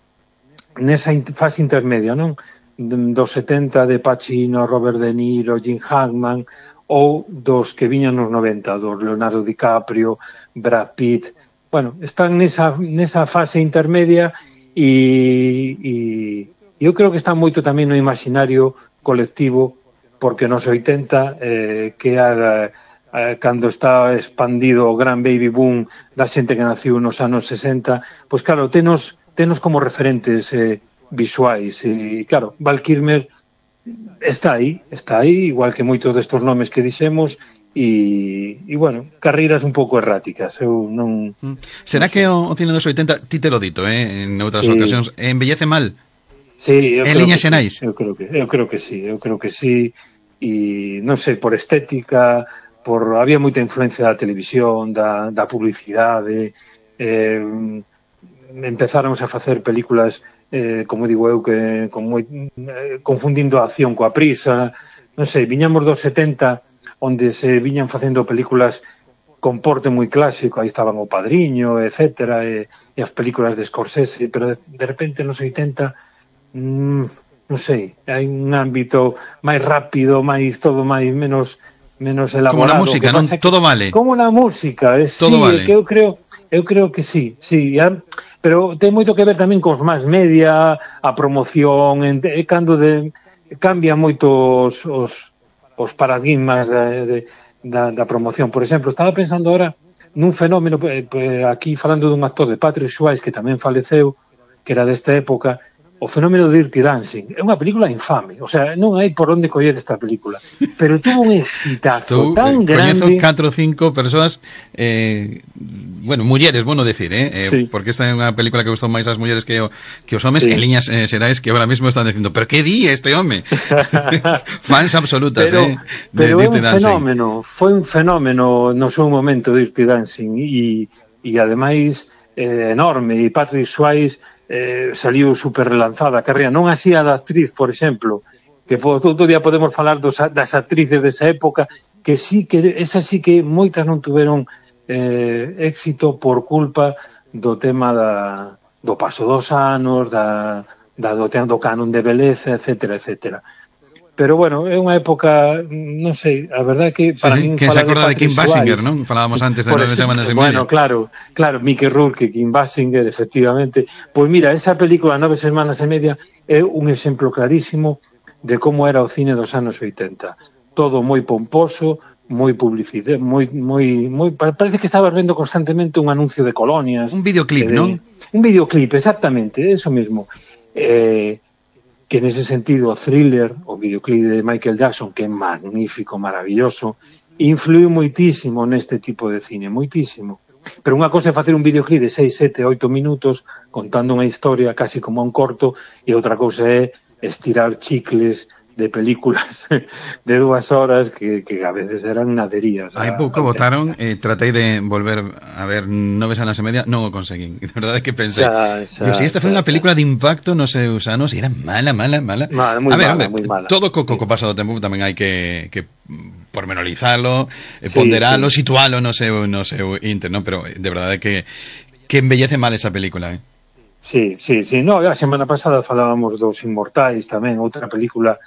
nesa fase intermedia, non? Dos setenta de Pacino, Robert De Niro, Jim Hackman, ou dos que viñan nos noventa, dos Leonardo DiCaprio, Brad Pitt. Bueno, están nesa, nesa fase intermedia e, e eu creo que están moito tamén no imaginario colectivo, porque nos oitenta, eh, que era eh, cando está expandido o gran baby boom da xente que naciu nos anos sesenta, pois claro, tenos, tenos como referentes eh, visuais, e claro, Val Kilmer está aí, está aí, igual que moitos destos nomes que dixemos, e, e bueno, carreiras un pouco erráticas. Eu non...
Será non que o, o cine dos oitenta, ti te lo dito, eh, en outras sí. ocasións, embellece mal?
Sí, eu
en liñas xerais?
Sí, eu creo que, eu creo que sí, eu creo que sí, e non sei, por estética, por había moita influencia da televisión, da, da publicidade, eh, empezaron a facer películas, eh, como digo eu, que con moi, eh, confundindo a acción coa prisa, non sei, viñamos dos setenta, onde se viñan facendo películas con porte moi clásico, aí estaban O Padriño, etcétera, e, e as películas de Scorsese, pero de, de repente nos oitenta, mmm, non sei, hai un ámbito máis rápido, máis todo máis menos menos elaborado.
Como na música, non? Todo vale.
Como na música, eh,
todo
sí,
vale.
Que eu creo, eu creo que sí, sí, ya, pero ten moito que ver tamén cos máis media, a promoción, e cando de cambian moitos os, os paradigmas de, de, da, da promoción. Por exemplo, estaba pensando ahora nun fenómeno, aquí falando dun actor de Patrick Swayze, que tamén faleceu, que era desta época, o fenómeno de Dirty Dancing. É unha película infame, o sea, non hai por onde coller esta película, pero tuvo un exitazo Estou, tan eh, grande.
Coñezo catro ou cinco persoas, eh, bueno, mulleres, bueno decir, eh,
sí.
porque esta é unha película que gustou máis ás mulleres que, o, que os homes, sí. En liñas eh, xerais que ahora mismo están dicindo, pero que di este home? Fans absolutas,
pero,
eh, de
pero
Dirty
é un
Dancing.
fenómeno, foi un fenómeno no seu momento Dirty Dancing, e, e ademais eh, enorme, e Patrick Swayze eh, saliu super relanzada a carreira, non así a da actriz, por exemplo, que todo día podemos falar dos, das actrices desa época, que sí que esas sí que moitas non tuveron eh, éxito por culpa do tema da, do paso dos anos, da, da do, do canon de beleza, etcétera, etcétera. pero bueno, é unha época, non sei, a verdade é que para
sí,
min
que se acorda de Kim Basinger, non? Falábamos antes de Nove semanas e media.
Bueno, claro, claro, Mickey Rourke, Kim Basinger, efectivamente. Pois mira, esa película Nove semanas e media é un exemplo clarísimo de como era o cine dos anos oitenta. Todo moi pomposo, moi publicidade, moi moi moi parece que estabas vendo constantemente un anuncio de colonias.
Un videoclip, eh, non?
Un videoclip, exactamente, eso mismo. Eh que nese sentido o Thriller, o videoclip de Michael Jackson, que é magnífico, maravilloso, influiu moitísimo neste tipo de cine, moitísimo. Pero unha cosa é facer un videoclip de seis, sete, oito minutos contando unha historia casi como un corto, e outra cousa é estirar chicles de películas de dúas horas que, que a veces eran naderías.
Hai pouco votaron, eh, tratei de volver a ver Nove semanas e media, non o conseguín. De verdade que pensei, xa, xa, yo, si esta foi unha película de impacto nos seus anos, era mala, mala, mala.
Mala, moi
a ver,
mala,
hombre,
moi mala.
Todo co, co, co paso do tempo tamén hai que, que pormenorizalo, sí, ponderalo, sí. Situalo no seu, no seu inter, ¿no? Pero de verdade que, que embellece mal esa película, eh?
Sí, sí, sí. No, a semana pasada falábamos dos Inmortais tamén, outra película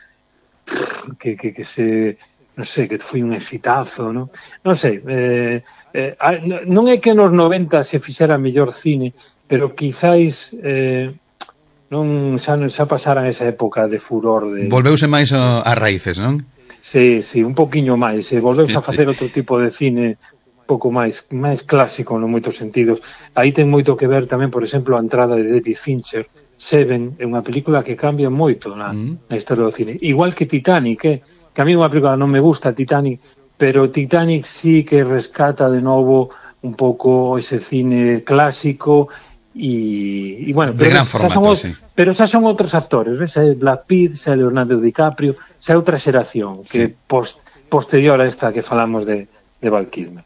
que, que, que se, non sei, que foi un exitazo, non? Non sei, eh, eh, non é que nos noventa se fixera mellor cine, pero quizáis eh, non xa, xa pasaran esa época de furor de...
Volveuse máis a raíces, non?
Sí, sí, un poquinho máis, e volveuse sí, a facer sí. Outro tipo de cine pouco máis máis clásico en moitos sentidos. Aí ten moito que ver tamén, por exemplo, a entrada de David Fincher. Seven é unha película que cambia moito na, mm. na historia do cine. Igual que Titanic, eh? Que a mí unha película non me gusta, Titanic, pero Titanic sí que rescata de novo un pouco ese cine clásico e, e bueno,
de
pero,
gran formato,
son,
sí.
Pero xa son outros actores, ves? Xa Brad Pitt, xa Leonardo DiCaprio, xa outra xeración que sí. post, posterior a esta que falamos de, de Val Kilmer.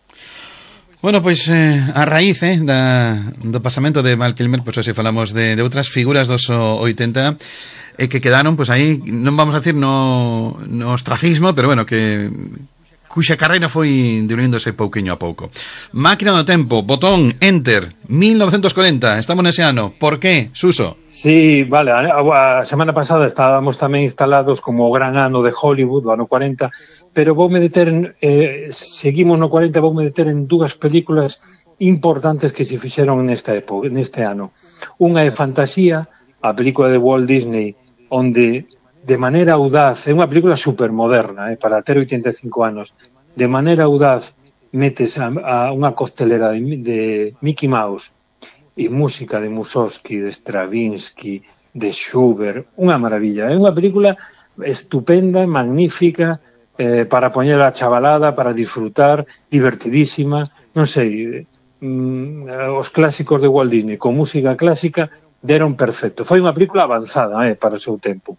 Bueno, pois eh, a raíz eh, da, do pasamento de Val Kilmer, pois así falamos de, de outras figuras dos oitenta eh, que quedaron, pois aí, non vamos a decir no, no ostracismo, pero bueno, que cuxa carreira foi diluíndose pouquiño a pouco. Máquina do tempo, botón, enter, mil novecentos corenta, estamos nese ano. Por qué, Suso?
Sí, vale, a, a semana pasada estábamos tamén instalados como o gran ano de Hollywood, do ano cuarenta, pero voume deter en, eh, seguimos no cuarenta, voume deter en dúas películas importantes que se fixeron nesta época, neste ano. Unha é Fantasía, a película de Walt Disney, onde de maneira audaz, é unha película supermoderna, eh, para ter oitenta e cinco anos, de maneira audaz metes a, a unha costelera de, de Mickey Mouse e música de Mussorgsky, de Stravinsky, de Schubert, unha maravilla. É unha película estupenda, magnífica, eh, para poñer a chavalada, para disfrutar, divertidísima, non sei, mm, os clásicos de Walt Disney con música clásica deron perfecto. Foi unha película avanzada eh, para o seu tempo.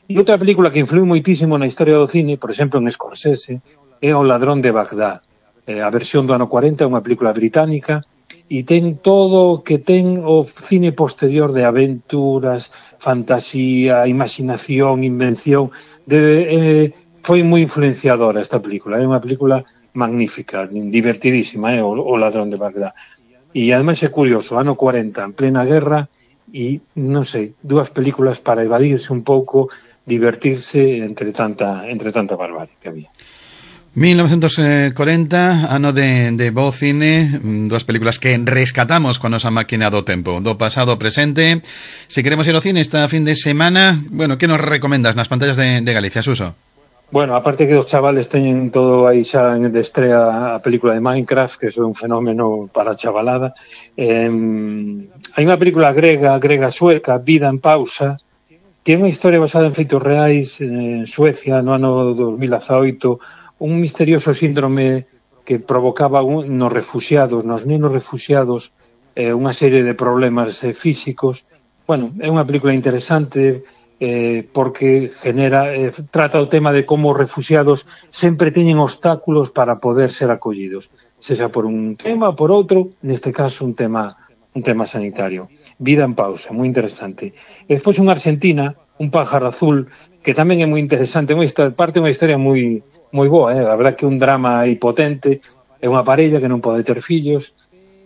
E outra película que influiu moitísimo na historia do cine, por exemplo, en Scorsese, é O ladrón de Bagdad. Eh, a versión do ano cuarenta é unha película británica e ten todo o que ten o cine posterior de aventuras, fantasía, imaginación, invención. De, eh, foi moi influenciadora esta película. É unha película magnífica, divertidísima, eh, o, o ladrón de Bagdad. E ademais é curioso, ano cuarenta, en plena guerra, e non sei, dúas películas para evadirse un pouco, divertirse entre tanta entre tanta barbarie que había.
mil novecentos corenta, ano de, de bo cine, dúas películas que rescatamos con nosa máquina do tempo, do pasado ao presente. Se queremos ir ao cine esta fin de semana, bueno, que nos recomendas nas pantallas de, de Galicia, Suso?
Bueno, aparte que os chavales teñen todo aí xa en de estrea a película de Minecraft, que é un fenómeno para a chavalada. Eh, hai unha película grega, grega sueca, Vida en pausa, que é unha historia basada en feitos reais en Suecia no ano dos mil dezaoito, un misterioso síndrome que provocaba un, nos refuxiados, nos nenos refuxiados, eh, unha serie de problemas eh, físicos. Bueno, é unha película interesante, Eh, porque genera eh, trata o tema de como os refuxiados sempre teñen obstáculos para poder ser acollidos, sexa por un tema ou por outro, neste caso un tema un tema sanitario. Vida en pausa, moi interesante. E despois unha Argentina, Un pájaro azul, que tamén é moi interesante, unha historia, parte unha historia moi moi boa, eh? A verdad que un drama aí potente, é unha parella que non pode ter fillos,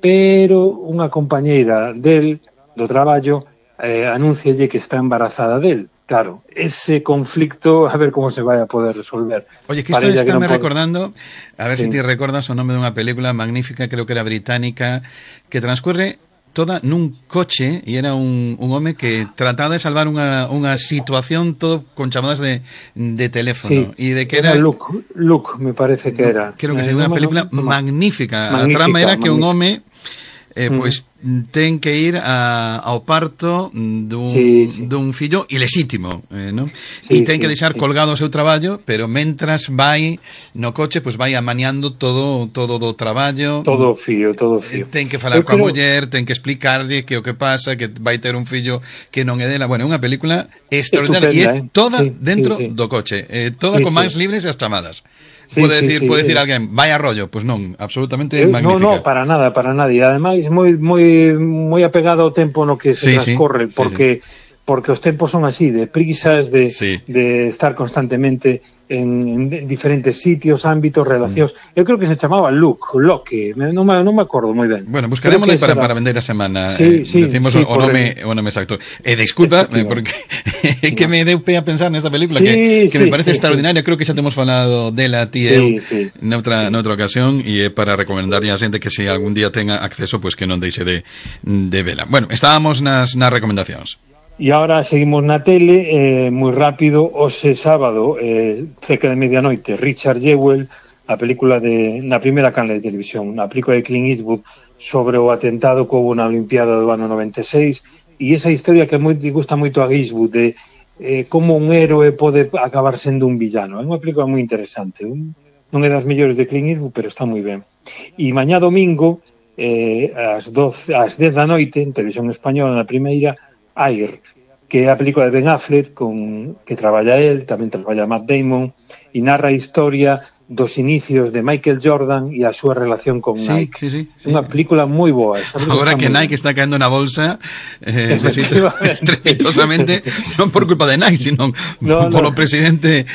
pero unha compañeira del do traballo eh, anúncialle que está embarazada del, claro, ese conflicto a ver como se vai a poder resolver.
Oye, que isto está me recordando, a ver sí. se ti recordas o nome dunha película magnífica, creo que era británica, que transcurre toda nun coche e era un, un home que trataba de salvar unha, unha situación todo con chamadas de, de teléfono.
Sí,
e de que
era,
era
Luke, Luke, me parece que era.
Creo que
eh,
é unha
no,
película
no, no,
magnífica.
magnífica.
A trama era que
magnífica.
un home eh, mm. pois ten que ir a, ao parto dun,
sí, sí.
dun fillo ilexítimo, eh, non?
Sí,
e ten
sí,
que deixar
sí.
colgado o seu traballo, pero mentras vai no coche, pois vai amañando todo todo do traballo.
Todo o fío, todo o fío.
Ten que falar
Eu
coa
creo...
muller, ten que explicarlle que o que pasa, que vai ter un fillo que non é dela. Bueno, é unha película extraordinaria e é
eh?
toda
sí,
dentro
sí, sí.
do coche, eh, toda
sí,
con
sí.
mans libres e as chamadas.
Sí,
pode
sí,
decir,
sí,
pode
sí.
decir alguén, vai a rollo, pois non, absolutamente
eh,
magnífica.
No, no, para nada, para nada. E ademais moi moi moi apegado ao tempo no que se
sí,
transcorre,
sí,
porque
sí, sí.
porque os tempos son así, de prisas, de,
sí.
de estar constantemente en, en diferentes sitios, ámbitos, relacións. Mm. Eu creo que se chamaba Luke, Loque, non me, non me acordo moi ben.
Bueno, buscaremos para, para vender a semana.
Sí,
eh,
sí,
decimos
sí,
o, nome, o nome exacto. E eh, disculpa, eh, porque é que me deu pé a pensar nesta película,
sí,
que, que
sí,
me parece
sí,
extraordinaria.
Sí.
Creo que xa temos falado dela, ti e
sí,
eu,
sí.
noutra, noutra ocasión, e é para recomendarlle a xente que se algún día tenga acceso, pues que non deixe de, de vela. Bueno, estábamos nas, nas recomendacións.
E agora seguimos na tele, eh, moi rápido, hoxe sábado, eh, cerca de medianoite, Richard Jewell, a película de, na primeira canle de televisión, a película de Clint Eastwood sobre o atentado que houve na Olimpiada do ano noventa e seis, e esa historia que moi, gusta moito a Eastwood, de eh, como un héroe pode acabar sendo un villano. É unha película moi interesante, un, non é das mellores de Clint Eastwood, pero está moi ben. E mañá domingo, eh, ás, doce, ás dez da noite, en televisión española, na primeira, Air, que é a película de Ben Affleck con, que traballa él, tamén traballa Matt Damon, e narra a historia dos inicios de Michael Jordan e a súa relación con
sí,
Nike.
Sí, sí, sí.
Unha película moi boa.
Agora que Nike bien. Está caendo na bolsa eh, estrepitosamente, non por culpa de Nike, sino no, polo no. presidente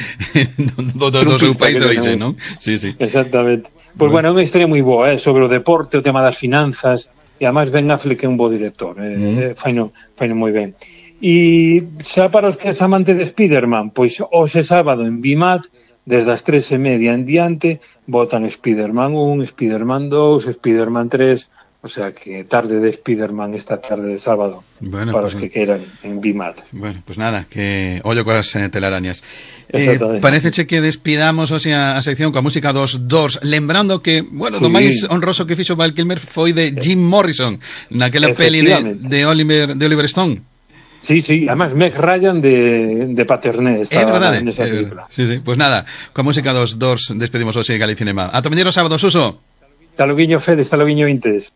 do, do, do seu país de origen, non? Sí, sí.
Exactamente. Pois bueno, é unha historia moi boa, eh, sobre o deporte, o tema das finanzas, e además Ben Affleck é un bo director, eh, mm. eh, faino, faino moi ben. E xa para os que es amante de Spiderman, pois hoxe sábado en Bimat, desde as tres e media en diante, botan Spiderman un, Spiderman dous, Spiderman tres, o sea que tarde de Spiderman esta tarde de sábado, bueno, para pues, os que queiran en Bimat.
Bueno, pues nada, que ollo coas eh, telarañas. Eh, pareceche que despidamos o sea, a sección coa música dos Doors, lembrando que, bueno, sí. do máis honroso que fixo Val Kilmer foi de Jim Morrison, naquela peli de, de, Oliver, de Oliver Stone.
Sí, sí, además Meg Ryan de, de Paterné estaba
verdade,
nesa película.
Sí, sí, pues nada, coa música dos Doors despedimos hoxe Galicinema. Ata mañá sábado, Suso.
Hasta loguiño Fede, hasta loguiño Intes.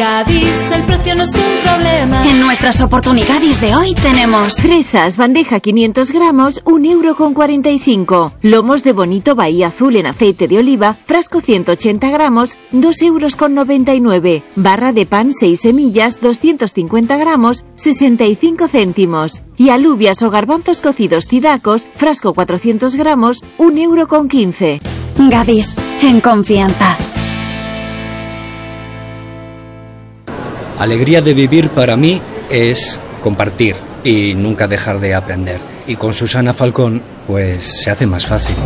Gadis, el precio no es un problema.
En nuestras oportunidades de hoy tenemos
fresas, bandeja quinientos gramos, un euro con cuarenta y cinco. Lomos de bonito Bahía Azul en aceite de oliva, frasco ciento ochenta gramos, dos euros con noventa y nueve. Barra de pan seis semillas, doscientos cincuenta gramos, sesenta y cinco céntimos. Y alubias o garbanzos cocidos cidacos, frasco cuatrocientos gramos, un euro con quince.
Gadis, en confianza.
Alegría de vivir para mí es compartir y nunca dejar de aprender. Y con Susana Falcón, pues se hace más fácil.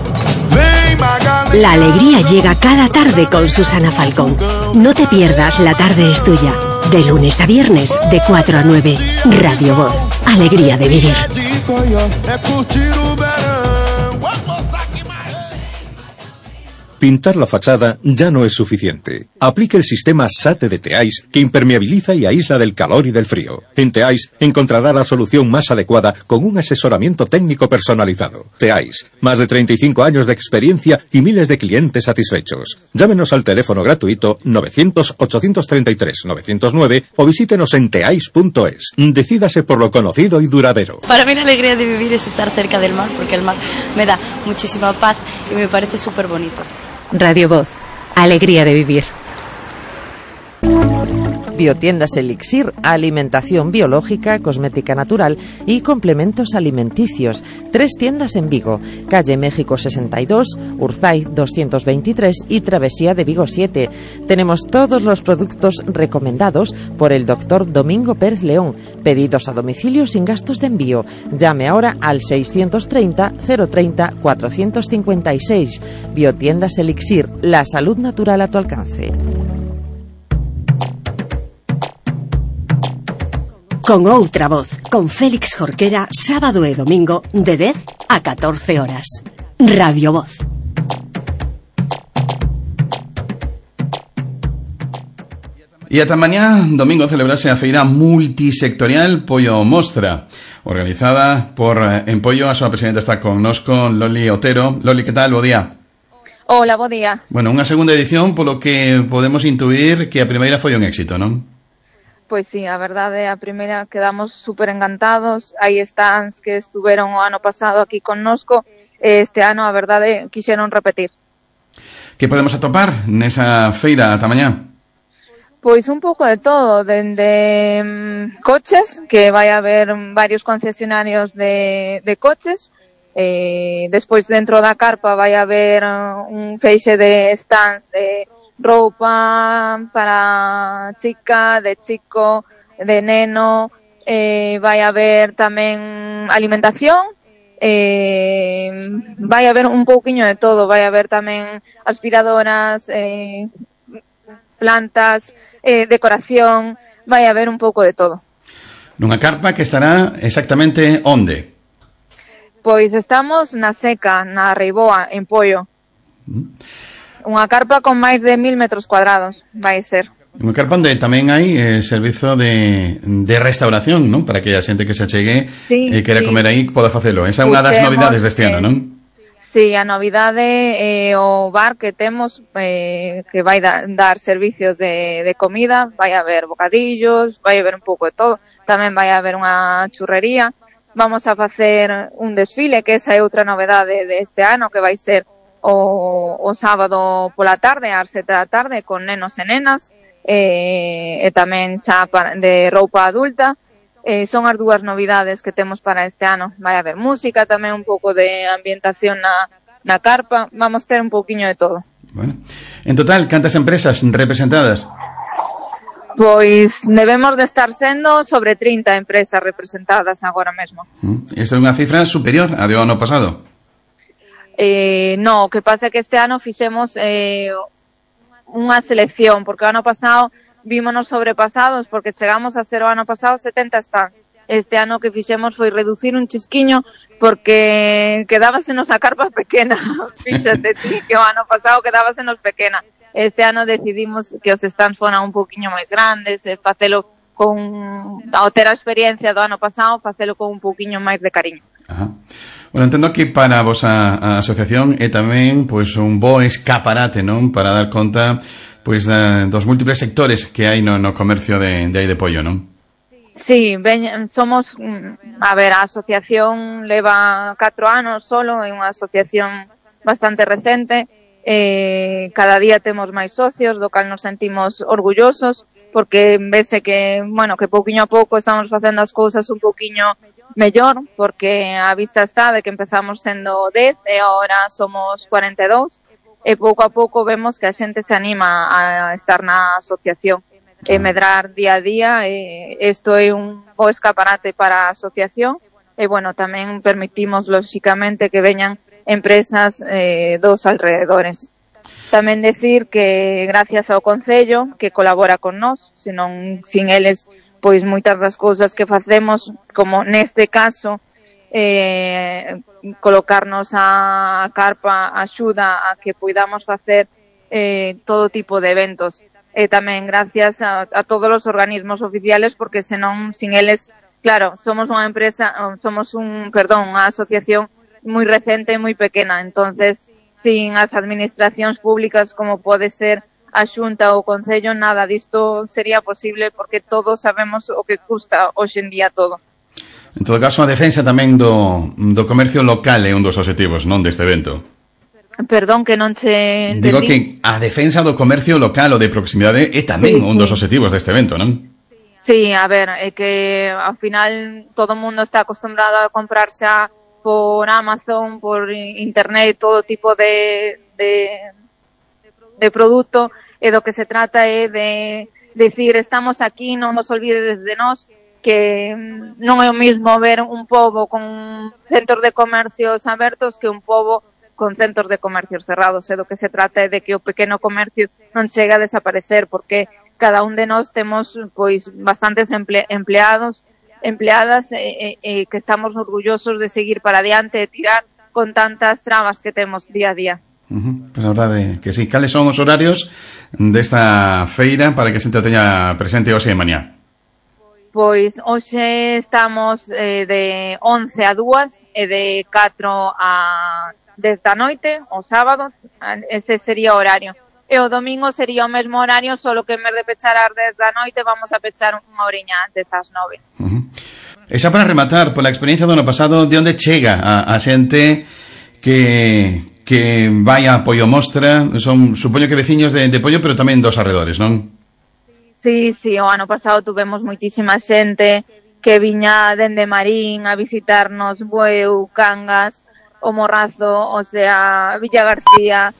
La alegría llega cada tarde con Susana Falcón. No te pierdas La tarde es tuya. De lunes a viernes, de cuatro a nueve. Radio Voz. Alegría de vivir.
Pintar la fachada ya no es suficiente. Aplique el sistema SATE de Teais, que impermeabiliza y aísla del calor y del frío. En Teais encontrará la solución más adecuada con un asesoramiento técnico personalizado. Teais, más de treinta y cinco años de experiencia y miles de clientes satisfechos. Llámenos al teléfono gratuito novecientos, ochocientos treinta y tres, novecientos nueve o visítenos en teais punto es. Decídase por lo conocido y duradero.
Para mí la alegría de vivir es estar cerca del mar, porque el mar me da muchísima paz y me parece súper bonito.
Radio Voz, alegría de vivir.
Biotiendas Elixir, alimentación biológica, cosmética natural y complementos alimenticios. Tres tiendas en Vigo, calle México sesenta y dos, Urzaiz doscientos veintitrés y Travesía de Vigo siete. Tenemos todos los productos recomendados por el doctor Domingo Pérez León, pedidos a domicilio sin gastos de envío. Llame ahora al seiscientos treinta, cero treinta, cuatrocientos cincuenta y seis. Biotiendas Elixir, la salud natural a tu alcance.
Con outra voz, con Félix Jorquera, sábado e domingo, de dez a catorce horas. Radio Voz.
E ata mañá, domingo, celebrase a feira multisectorial Pollo Mostra, organizada por Empollo. A súa presidenta está connosco, Loli Otero. Loli, que tal? Bo día.
Hola, bo día.
Bueno, unha segunda edición, polo que podemos intuir que a primeira foi un éxito, non?
Pois sí, a verdade, a primeira quedamos super encantados. Hai stands que estuveron o ano pasado aquí connosco, e este ano, a verdade, quixeron repetir.
Que podemos atopar nesa feira ata mañá?
Pois un pouco de todo, dende um, coches, que vai haber varios concesionarios de, de coches, eh, despois dentro da carpa vai haber uh, un feixe de stands de roupa para chica, de chico, de neno, eh, vai haber tamén alimentación, eh, vai haber un pouquiño de todo, vai haber tamén aspiradoras, eh, plantas, eh, decoración, vai haber un pouco de todo.
Nunha carpa que estará exactamente onde?
Pois estamos na Seca, na Reiboa, en Pollo. Mm. Unha carpa con máis de mil metros cuadrados, vai ser.
Unha carpa onde tamén hai eh, servizo de, de restauración, non? Para que a xente que se achegue
sí,
e eh, quera
sí.
comer aí poda facelo. Esa é unha das novidades deste ano, non?
Sí, a novidade é eh, o bar que temos eh, que vai da, dar servicios de, de comida. Vai haber bocadillos, vai haber un pouco de todo. Tamén vai haber unha churrería. Vamos a facer un desfile, que esa é outra novedade deste ano, que vai ser O, o sábado pola tarde, ás sete da tarde, con nenos e nenas, e, e tamén xa para, de roupa adulta. Eh, son as dúas novidades que temos para este ano. Vai haber música, tamén un pouco de ambientación na, na carpa. Vamos ter un pouquiño de todo.
Bueno. En total, cantas empresas representadas?
Pois debemos de estar sendo sobre trinta empresas representadas agora mesmo.
Esta é unha cifra superior a do ano pasado?
Eh, no, o que pasa é que este ano fixemos eh, unha selección, porque o ano pasado vímonos sobrepasados, porque chegamos a ser o ano pasado setenta stands. Este ano que fixemos foi reducir un chisquiño, porque quedábasenos a carpa pequena. Fíxate ti, que o ano pasado quedábasenos pequena. Este ano decidimos que os stands foran un poquinho máis grandes, e facelo con, ao ter a experiencia do ano pasado, facelo con un poquinho máis de cariño.
Ajá. Bueno, entendo que para a vosa a asociación é tamén pois un bo escaparate, non? Para dar conta pois uh, dos múltiples sectores que hai no, no comercio de, de aí de pollo, non?
Sí, ben, somos, a ver, a asociación leva catro anos solo, é unha asociación bastante recente, eh, cada día temos máis socios, do cal nos sentimos orgullosos, porque vese que, bueno, que pouquiño a pouco estamos facendo as cousas un pouquiño mellor, porque a vista está de que empezamos sendo dez e agora somos cuarenta e dous, e pouco a pouco vemos que a xente se anima a estar na asociación e medrar día a día, e isto é un bo escaparate para a asociación, e bueno, tamén permitimos lóxicamente que veñan empresas eh, dos alrededores. Tamén decir que gracias ao Concello que colabora con nós, senón sin eles pois moitas das cousas que facemos, como neste caso eh, colocarnos a carpa axuda a que poidamos facer eh, todo tipo de eventos, e tamén gracias a, a todos os organismos oficiales, porque senón sin eles, claro, somos unha empresa, somos un, perdón, unha asociación moi recente e moi pequena, entonces sin as administracións públicas como pode ser a Xunta ou o Concello, nada disto sería posible, porque todos sabemos o que custa hoxe en día todo.
En todo caso, a defensa tamén do, do comercio local é un dos obxectivos, non, deste evento.
Perdón, que non se entendí.
Digo que a defensa do comercio local ou de proximidade é tamén sí, un dos sí. obxectivos deste evento, non?
Sí, a ver, é que ao final todo o mundo está acostumbrado a comprarse a por Amazon, por internet, todo tipo de, de, de produto, e do que se trata é de decir, estamos aquí, non nos olvides de nós, que non é o mismo ver un pobo con centros de comercios abertos que un pobo con centros de comercios cerrados, e do que se trata é de que o pequeno comercio non chegue a desaparecer, porque cada un de nós temos pois bastantes emple, empleados, empleadas e, e, e que estamos orgullosos de seguir para adiante e tirar con tantas trabas que temos día a día.
Uh-huh. Pues a verdade que sí. Cales son os horarios desta feira para que a xente teña presente hoxe e mañá?
Pois hoxe estamos eh, de once a dúas e de catro a dez da noite, o sábado, ese sería o horario. E o domingo sería o mesmo horario, solo que en vez de pechar ás dez da noite vamos a pechar unha oriña antes, ás nove.
Uh-huh. E xa para rematar, pola experiencia do ano pasado, de onde chega a, a xente que... que vai a Pollo Mostra? Son, supoño que veciños de, de Pollo, pero tamén dos arredores, non?
Sí, sí, o ano pasado tuvemos moitísima xente que viña dende Marín a visitarnos, Bueu, Cangas, o Morrazo, o sea, Villa García.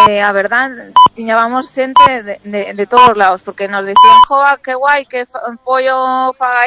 Eh, a verdad, tiñábamos xente de, de, de todos lados, porque nos decían, joa, que guai, que fa, Pollo faga